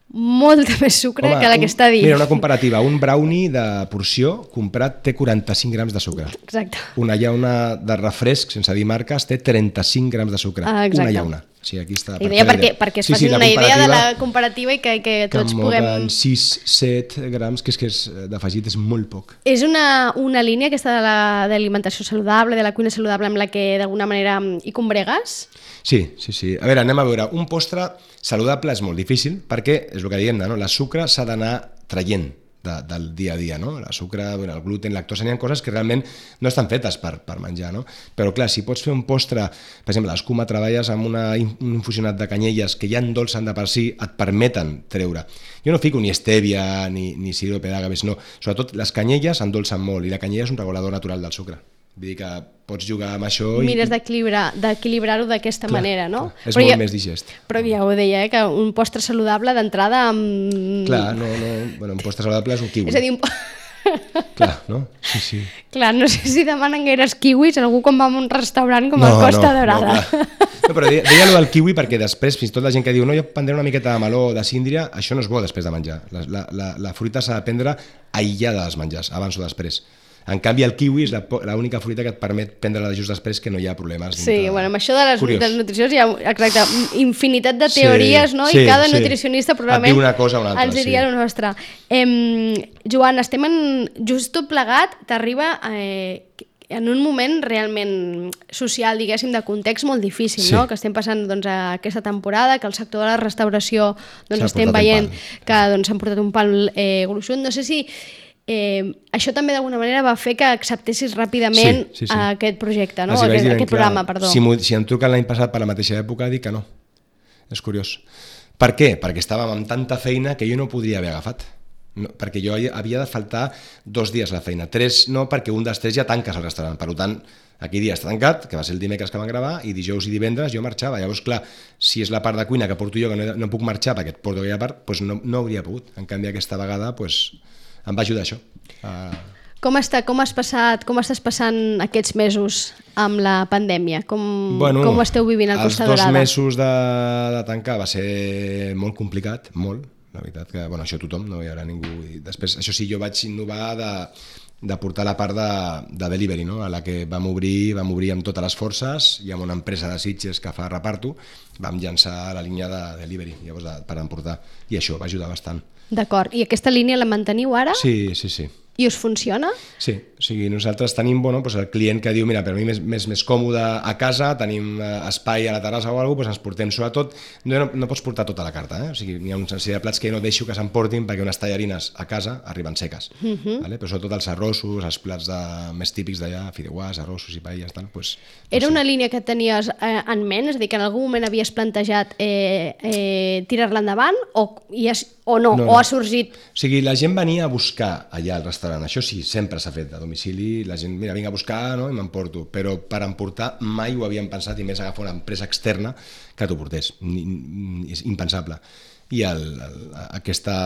molta més sucre Home, que la que un, està dient. Mira, una comparativa, un brownie de porció comprat té quaranta-cinc grams de sucre. Exacte. Una llauna de refresc, sense dir marques, té trenta-cinc grams de sucre. Ah, exacte. Una llauna. Sí, aquí està. I deia perquè, perquè es sí, facin sí, una idea de la comparativa i que, que tots que puguem... sis set grams, que és que és d'afegit és molt poc. És una, una línia aquesta de l'alimentació saludable, de la cuina saludable, amb la que d'alguna manera hi combregues? Sí, sí, sí. A veure, anem a veure. Un postre saludable és molt difícil perquè, és el que diem, no? La sucre s'ha d'anar traient de, del dia a dia, no? La sucre, bueno, el gluten, lactosa, n'hi ha coses que realment no estan fetes per, per menjar, no? Però clar, si pots fer un postre, per exemple, l'escuma treballes amb una, un infusionat de canyelles que ja endolcen de per si, et permeten treure. Jo no fico ni stèvia ni, ni sirope d'agaves, no. Sobretot les canyelles endolcen molt i la canyella és un regulador natural del sucre. Vull dir que pots jugar amb això i... Mires d'equilibrar-ho d'aquesta manera, no? És però molt ja, més digest. Però ja ho deia, eh, que un postre saludable d'entrada amb... Clar, no, no... Bueno, un postre saludable és un kiwi. És a dir, un... Clar, no? Sí, sí. Clar, no sé si demanen gaires kiwis algú quan va a un restaurant com no, el Costa no, Dorada. No, no, però deia, deia allò del kiwi perquè després, fins i tot la gent que diu no, jo prendré una miqueta de meló o de síndria, això no és bo després de menjar. La, la, la, la fruita s'ha de prendre aïllada dels menjars, abans o després. En canvi, el kiwi és l'única fruita que et permet prendre-la just després, que no hi ha problemes. Sí, bueno, amb això de les, de les nutricions hi ha, exacte, infinitat de teories, sí, no? Sí, I cada sí. nutricionista probablement una cosa o una altra, ens diria sí. el nostre. Eh, Joan, estem en... Just tot plegat t'arriba eh, en un moment realment social, diguéssim, de context molt difícil, sí. No? Que estem passant doncs, aquesta temporada, que el sector de la restauració doncs, estem veient que doncs, s'han portat un pal eh, gruixut. No sé si... Eh, això també d'alguna manera va fer que acceptessis ràpidament sí, sí, sí. aquest projecte, no? aquest, aquest programa, perdó. Si, si em truquen l'any passat per la mateixa època, dic que no. És curiós. Per què? Perquè estàvem amb tanta feina que jo no podria haver agafat. No, perquè jo havia de faltar dos dies a la feina. Tres no, perquè un dels tres ja tanques al restaurant. Per tant, aquell dia està tancat, que va ser el dimecres que vam gravar, i dijous i divendres jo marxava. Llavors, clar, si és la part de cuina que porto jo, que no, no puc marxar perquè et porto aquella part, doncs no, no hauria pogut. En canvi, aquesta vegada doncs, em va ajudar això. Uh... Com està, com has passat, com estàs passant aquests mesos amb la pandèmia? Com, bueno, com ho esteu vivint al Costa Dorada? Els dos mesos de, de tancar va ser molt complicat, molt. La veritat que, bueno, això tothom, no hi haurà ningú. I després, això sí, jo vaig innovar de, de portar la part de, de delivery, no? A la que vam obrir, vam obrir amb totes les forces i amb una empresa de Sitges que fa reparto, vam llançar la línia de delivery, llavors de, per emportar, i això va ajudar bastant. D'acord, i aquesta línia la manteniu ara? Sí, sí, sí. I us funciona? Sí, o sigui, nosaltres tenim bueno, doncs el client que diu, mira, per mi més, més, més còmode a casa, tenim espai a la terrassa o alguna cosa, doncs ens portem sobretot, no, no pots portar tota la carta, eh? O sigui, hi ha una sèrie de plats que no deixo que s'emportin perquè unes tallarines a casa arriben seques, uh-huh. Vale? Però sobretot els arrossos, els plats de, més típics d'allà, fideuàs, arrossos i paelles, tal, doncs, Era doncs, una línia que tenies eh, en ment? És a dir, que en algun moment havies plantejat eh, eh, tirar-la endavant o, i has, o no, no, o no. ha sorgit? O sigui, la gent venia a buscar allà al restaurant, això sí, sempre s'ha fet a domicili, la gent, mira, vinc a buscar, no?, i m'emporto, però per emportar mai ho havíem pensat, i més agafar una empresa externa que t'ho portés, ni, ni, és impensable. I el, el, aquesta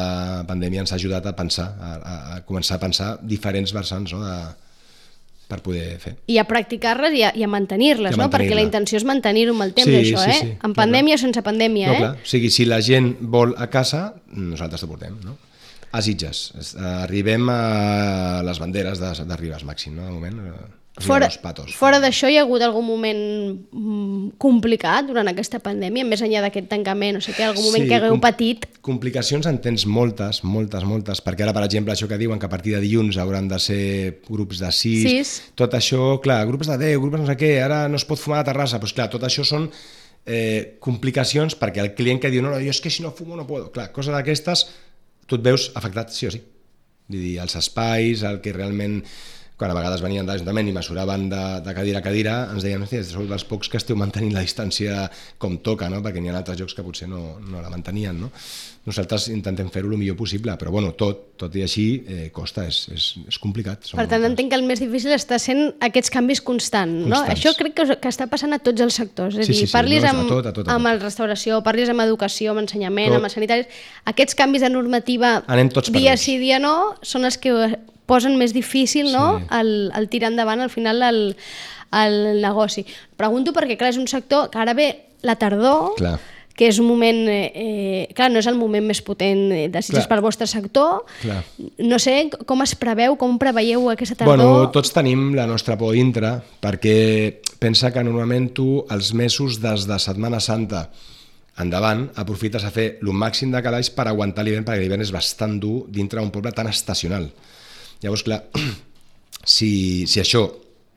pandèmia ens ha ajudat a pensar, a, a començar a pensar diferents vessants, no?, de, per poder fer. I a practicar-les i a, i a mantenir-les, no? Perquè la intenció és mantenir-ho amb el temps, sí, això, sí, eh? sí, en clar, pandèmia clar. o sense pandèmia, no, eh? Clar. O sigui, si la gent vol a casa, nosaltres t'ho portem, no? A Sitges. Arribem a les banderes de, de Ribes Màxim, no?, de moment. Fora, fora d'això, hi ha hagut algun moment complicat durant aquesta pandèmia, més enllà d'aquest tancament, o sigui, algun moment sí, que hagueu com, patit? Complicacions en tens moltes, moltes, moltes, perquè ara, per exemple, això que diuen que a partir de dilluns hauran de ser grups de sis, sis. Tot això, clar, grups de deu, grups no sé què, ara no es pot fumar a la terrassa, doncs clar, tot això són eh, complicacions perquè el client que diu, no, no, jo és que si no fumo no puedo, clar, coses d'aquestes, tu et veus afectat sí o sí. Vull dir, els espais, el que realment... Quan a vegades venien de l'Ajuntament i mesuraven de, de cadira a cadira, ens deien, hòstia, sou dels pocs que esteu mantenint la distància com toca, no? Perquè n'hi ha altres llocs que potser no, no la mantenien, no? Nosaltres intentem fer-ho el millor possible, però bueno, tot, tot i així eh, costa, és, és, és complicat. Per tant, entenc que el més difícil està sent aquests canvis constants, no? Constants. Això crec que, que està passant a tots els sectors, és a dir, sí, sí, sí, parlis no, amb, a tot, a tot, a tot. amb la restauració, parlis amb educació, amb ensenyament, tot. Amb els sanitaris, aquests canvis de normativa dia sí, dia no, són els que posen més difícil, no?, sí. el, el tirar endavant al final el, el negoci. Pregunto perquè, clar, és un sector que ara ve la tardor, clar. Que és un moment, eh, clar, no és el moment més potent de Sitges pel vostre sector. Clar. No sé com es preveu, com preveieu aquesta tardor? Bueno, tots tenim la nostra por dintre, perquè pensa que normalment tu els mesos des de Setmana Santa endavant aprofites a fer el màxim de calaix per aguantar l'hivern, perquè l'hivern és bastant dur dintre d'un poble tan estacional. Llavors, clar, si, si això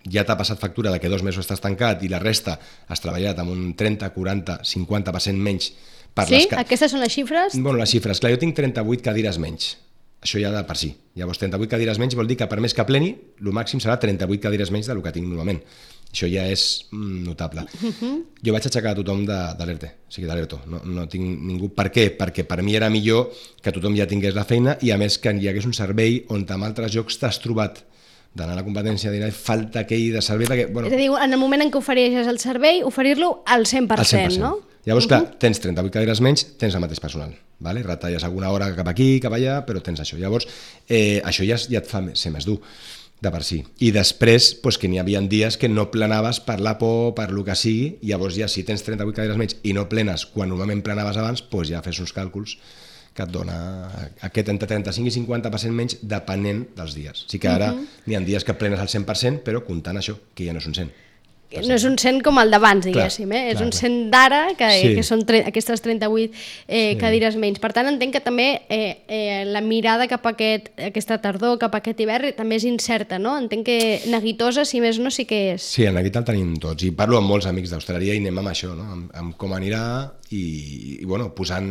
ja t'ha passat factura de que dos mesos estàs tancat i la resta has treballat amb un trenta, quaranta, cinquanta per cent menys... Per sí? Les ca... Aquestes són les xifres? Bueno, les xifres. Clar, jo tinc trenta-vuit cadires menys. Això ja de per si. Llavors, trenta-vuit cadires menys vol dir que per més que pleni, el màxim serà trenta-vuit cadires menys del que tinc normalment. Això ja és notable. Uh-huh. Jo vaig aixecar a tothom de, de l'ERTE, o sigui, de l'ERTO. No, no tinc ningú... Per què? Perquè per mi era millor que tothom ja tingués la feina i, a més, que hi hagués un servei on en altres llocs t'has trobat d'anar a la competència de dir falta aquell de servei perquè... Bueno, és a dir, en el moment en què ofereixes el servei, oferir-lo al cent per cent, al cent per cent. No? Llavors, uh-huh. clar, tens trenta-vuit cadires menys, tens el mateix personal. Vale? Retalles alguna hora cap aquí, cap allà, però tens això. Llavors, eh, això ja, ja et fa ser més dur de per si. I després, pues, que n'hi havia dies que no plenaves per la por, per lo que sigui, i llavors ja si tens trenta-vuit cadires menys i no plenes quan normalment plenaves abans, pues ja fes uns càlculs que et dona aquest entre trenta-cinc i cinquanta per cent menys depenent dels dies. O sigui que ara uh-huh. n'hi ha dies que plenes al cent per cent, però comptant això, que ja no és un cent. No és un cent com el d'abans, diguéssim, eh? És clar, un cent d'ara, que, sí. que són tre- aquestes trenta-vuit eh, sí. cadires menys. Per tant, entenc que també eh, eh, la mirada cap a aquest, aquesta tardor, cap a aquest hivern, també és incerta, no? Entenc que neguitosa, si més no, sí que és. Sí, en neguit el tenim tots. I parlo amb molts amics d'Hostaleria i anem amb això, no? Amb, amb com anirà i, i bueno, posant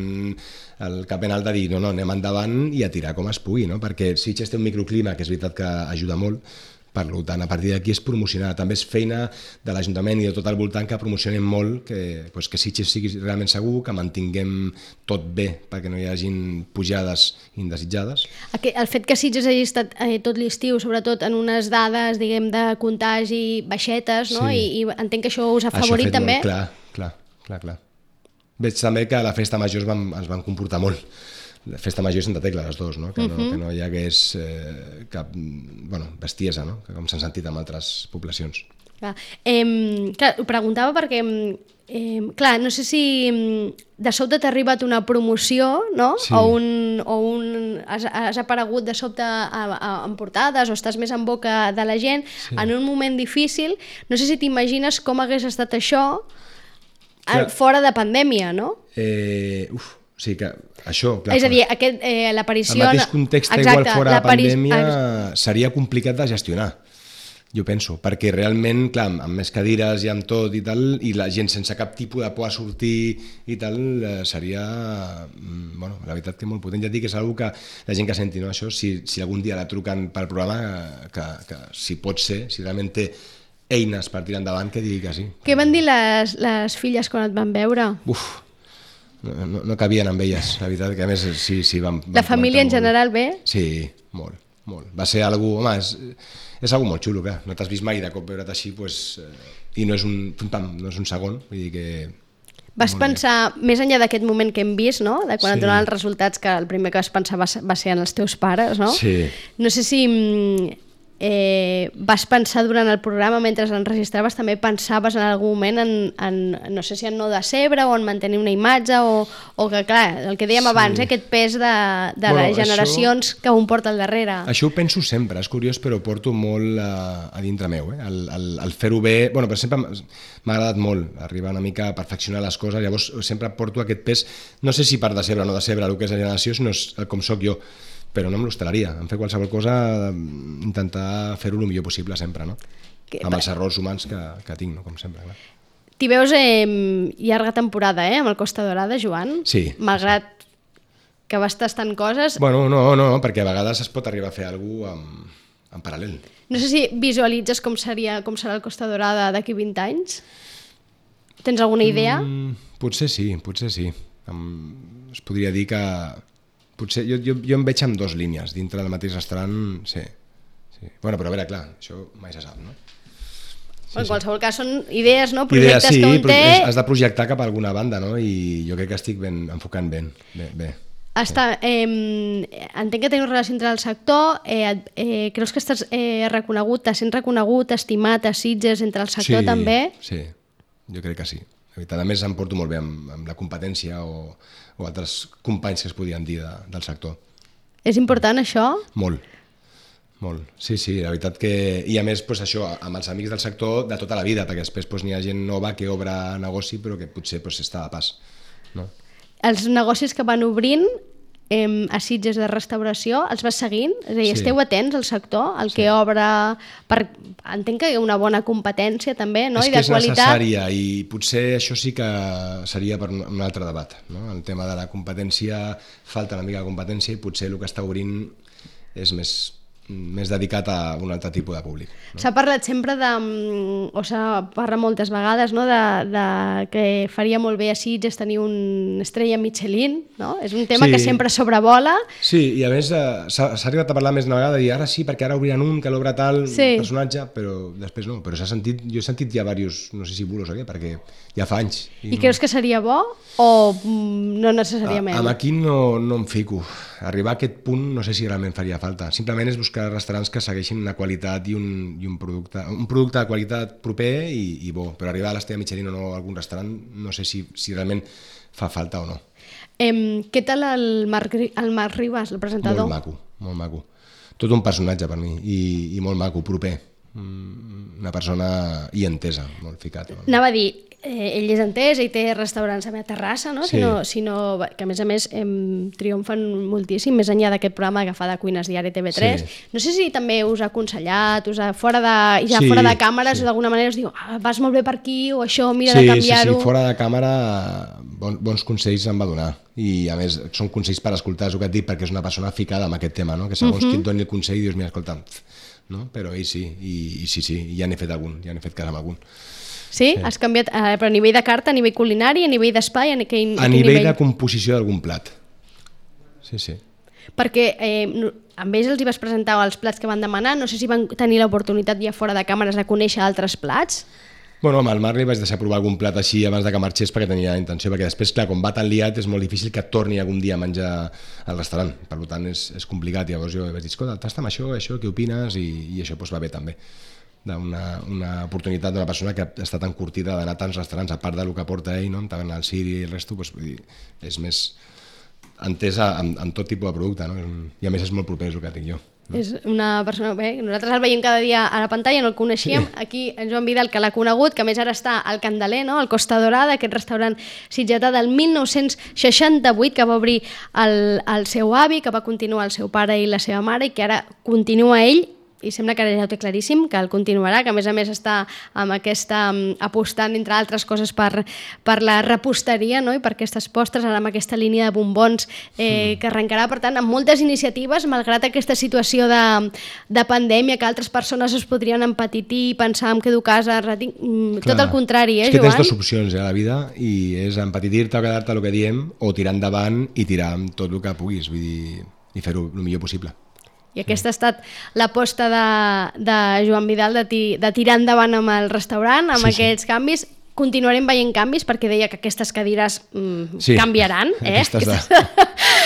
el cap en alt de dir, no, no, anem endavant i a tirar com es pugui, no? Perquè Sitges té un microclima, que és veritat que ajuda molt, Per tant, a partir d'aquí és promocionar. També és feina de l'Ajuntament i de tot el voltant que promocionem molt, que, pues, que Sitges sigui realment segur, que mantinguem tot bé perquè no hi hagin pujades indesitjades. El fet que Sitges hagi estat eh, tot l'estiu, sobretot en unes dades, diguem, de contagi baixetes, no? Sí. I, I entenc que això us ha favorit també. Molt, clar, clar, clar, clar. Veig també que a la festa major es van, es van comportar molt. La festa major i Santa Tecla, les dues, no? Que, no, uh -huh. que no hi hagués eh, cap bueno, bestiesa, no? Que com s'han sentit en altres poblacions. Clar, eh, clar ho preguntava perquè, eh, clar, no sé si de sobte t'ha arribat una promoció, no? Sí. O un, o un has, has aparegut de sobte a, a, en portades o estàs més en boca de la gent, sí. En un moment difícil. No sé si t'imagines com hagués estat això clar. Fora de pandèmia, no? Eh, uf, o sigui que això, clar, és a dir, aquest, eh, l'aparició... El mateix context igual fora de pandèmia seria complicat de gestionar, jo penso, perquè realment, clar, amb més cadires i amb tot i tal, i la gent sense cap tipus de por a sortir i tal, seria, bueno, la veritat que molt potent. Ja et dic que és una que la gent que senti, no, això, si, si algun dia la truquen pel programa, que, que si pot ser, si realment té eines per tirar endavant, que digui que sí. Què van dir les, les filles quan et van veure? Uf, no, no, no cabien amb elles, la veritat, que a més sí, sí vam... La família en general bé? Sí, molt, molt. Va ser algú, home, és, és algú molt xulo, clar. No t'has vist mai de cop veure't així, pues, eh, i no és un, pam, no és un segon, vull dir que... Vas pensar, bé. Més enllà d'aquest moment que hem vist, no? De quan sí. Et donaven els resultats, que el primer que vas pensar va, va ser en els teus pares, no? Sí. No sé si... Eh, vas pensar durant el programa, mentre enregistraves, també pensaves en algun moment en, en no sé si en no decebre o en mantenir una imatge o, o que, clar, el que dèiem sí. abans, eh, aquest pes de, de bueno, les generacions això, que un porta al darrere. Això ho penso sempre, és curiós, però ho porto molt a, a dintre meu, eh? el, el, el fer-ho bé, bueno, per sempre m'ha agradat molt arribar una mica a perfeccionar les coses, llavors sempre porto aquest pes, no sé si per decebre o no decebre el que és la generació, sinó com sóc jo, però no me l'hostalaria, en fer qualsevol cosa, intentar fer-ho el millor possible sempre, no? Que, amb els errors humans que, que tinc, no? Com sempre. Clar. T'hi veus eh, llarga temporada, eh, amb el Costa Dorada, Joan? Sí. Malgrat sí. que vas tastant coses... Bueno, no, no, perquè a vegades es pot arribar a fer alguna cosa en, en paral·lel. No sé si visualitzes com seria com serà el Costa Dorada d'aquí vint anys? Tens alguna idea? Mm, potser sí, potser sí. Em, es podria dir que... Potser jo, jo, jo em veig amb dues línies dintre del mateix restaurant, sí, sí. Bueno, però a veure, clar, això mai se sap, no? Sí, en qualsevol sí. cas són idees, no? Projectes idees, sí, que un té... has de projectar cap a alguna banda, no? I jo crec que estic ben, enfocant ben, bé. bé. Està, eh, entenc que teniu relació entre el sector, eh, eh, creus que estàs eh, reconegut, t'has sent reconegut, estimat a Sitges entre el sector sí, també? Sí, jo crec que sí. A més em porto molt bé amb, amb la competència o, o altres companys que es podien dir de, del sector. És important això? Molt, molt. Sí, sí, la veritat que... I a més, pues, això, amb els amics del sector de tota la vida, perquè després pues, n'hi ha gent nova que obre negoci però que potser pues, està de pas. No? Els negocis que van obrint eh, a Sitges de restauració, els vas seguint? És a dir, sí. Esteu atents al sector, el sí. que obre... Per... Entenc que hi ha una bona competència també, no? És I de que és qualitat. necessària i potser això sí que seria per un altre debat, no? El tema de la competència, falta una mica de competència i potser el que està obrint és més, més dedicat a un altre tipus de públic. No? S'ha parlat sempre de, o s'ha parlat moltes vegades, no? de, de que faria molt bé a Sitges tenir una estrella Michelin, no? És un tema sí. que sempre sobrevola. Sí, i a més s'ha arribat a parlar més una vegada i ara sí, perquè ara obriran un que l'obre tal sí. personatge, però després no. Però s'ha sentit, jo he sentit ja diversos, no sé si bulos o què, perquè ja fa anys. I, I no... creus que seria bo o no necessàriament? A, amb aquí no, no em fico. Arribar a aquest punt no sé si realment faria falta. Simplement és buscar restaurants que segueixin una qualitat i un, i un producte un producte de qualitat proper i, i bo, però arribar a l'estrella Michelin o no a algun restaurant no sé si, si realment fa falta o no. Eh, què tal el Marc, el Marc Ribas, el presentador? Molt maco, molt maco. Tot un personatge per mi i, i molt maco, proper. Una persona i entesa, molt ficat. Molt... Anava a dir, eh, ell és entès, ell té restaurants a Terrassa, no? Sí. Si no, si no, que a més a més eh, triomfen moltíssim, més enllà d'aquest programa que fa de Cuines Diari T V tres. Sí. No sé si també us ha aconsellat, us ha, fora de, ja sí, fora de càmeres, sí. d'alguna manera us diu, ah, vas molt bé per aquí, o això, mira sí, de canviar-ho. Sí, sí, fora de càmera bon, bons consells em va donar. I a més són consells per escoltar, és el que et dic, perquè és una persona ficada en aquest tema, no? Que segons uh -huh. qui et doni el consell dius, mira, escolta, no? Però ell sí, i, i sí, sí, ja n'he fet algun, ja n'he fet cara amb algun. Sí? sí? Has canviat, eh, però a nivell de carta, a nivell culinari, a nivell d'espai, a, a, a nivell, nivell de composició d'algun plat. Sí, sí. Perquè eh, amb ells els hi vas presentar els plats que van demanar, no sé si van tenir l'oportunitat ja fora de càmeres de conèixer altres plats. Bueno, amb el Marc li vaig deixar provar algun plat així abans de que marxés perquè tenia intenció, perquè després, clar, com va tan liat és molt difícil que torni algun dia a menjar al restaurant, per tant és, és complicat. Llavors jo vaig dir, escolta, tasta amb això, això, què opines? I, i això doncs, va bé també. Una, una oportunitat d'una persona que està tan curtida d'anar a tants restaurants, a part del que porta ell, no? Tant el Siri i el resto, doncs, vull dir, és més entesa en, en tot tipus de producte, no? I a més és molt proper, és el que dic jo. No? És una persona, bé, nosaltres el veiem cada dia a la pantalla, no el coneixíem, sí. Aquí en Joan Vidal, que l'ha conegut, que a més ara està al Candeler, no? Al Costa Dorada, aquest restaurant sitgetà del mil nou-cents seixanta-vuit, que va obrir el, el seu avi, que va continuar el seu pare i la seva mare, i que ara continua ell, i sembla que ara ja ho té claríssim, que el continuarà, que a més a més està amb aquesta, apostant, entre altres coses, per, per la reposteria, no? I per aquestes postres, ara amb aquesta línia de bombons eh, mm. que arrencarà, per tant, amb moltes iniciatives, malgrat aquesta situació de, de pandèmia, que altres persones es podrien empetitir, pensar en quedo a casa, retinc... tot el contrari, eh, Joan? És que Joan? tens dues opcions eh, a la vida, i és empetitir-te o quedar-te el que diem, o tirar endavant i tirar amb tot el que puguis, vull dir, i fer-ho el millor possible. I aquesta ha estat l'aposta de, de Joan Vidal de, ti, de tirar endavant amb el restaurant, amb sí, aquests sí. canvis. Continuarem veient canvis perquè deia que aquestes cadires mm, sí. canviaran, eh? Aquestes, de...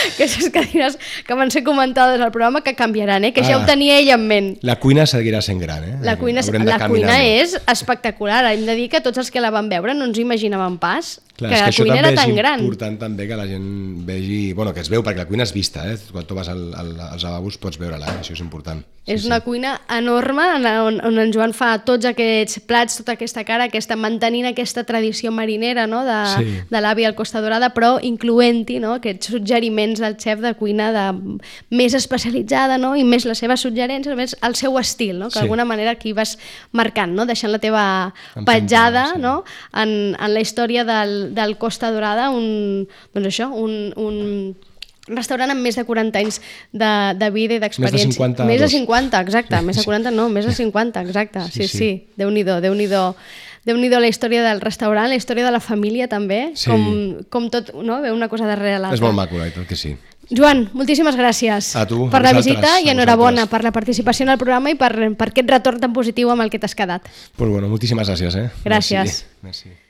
aquestes cadires que van ser comentades al programa que canviaran, eh? Que ah, ja ho tenia ell en ment. La cuina seguirà sent gran, eh? La cuina, la cuina és espectacular. Hem de dir que tots els que la van veure no ens imaginaven pas Clar, que la que cuina era tan gran. És important també que la gent vegi... Bueno, que es veu, perquè la cuina és vista, eh? Quan tu vas al, al, als lavabos pots veure-la, eh? Això és important. És sí, una sí. cuina enorme on, on en Joan fa tots aquests plats, tota aquesta cara, aquesta, mantenint aquesta tradició marinera, no? de, sí. de l'avi al Costa Dorada, però incloent-hi, no? Aquests suggeriments del xef de cuina de, més especialitzada, no? I més les seves suggerències, més el seu estil, no? Que d'alguna sí. manera aquí vas marcant, no? Deixant la teva petjada sí. no? en, en la història del, del Costa Dorada, un, doncs això, un, un restaurant amb més de quaranta anys de, de vida i d'experiència. Més de cinquanta. Més de cinquanta, exacte. Més de quaranta no, més de cinquanta, exacte. Sí, sí. sí. Déu-n'hi-do, Déu-n'hi-do. Déu-n'hi-do la història del restaurant, la història de la família també, sí. com, com tot, no? Ve una cosa darrere l'altra. És molt maco, i tot que sí. Joan, moltíssimes gràcies a tu, per a la visita i enhorabona vosaltres. per la participació en el programa i per, per aquest retorn tan positiu amb el que t'has quedat. Pues bueno, moltíssimes gràcies. Eh? Gràcies. Merci. Merci.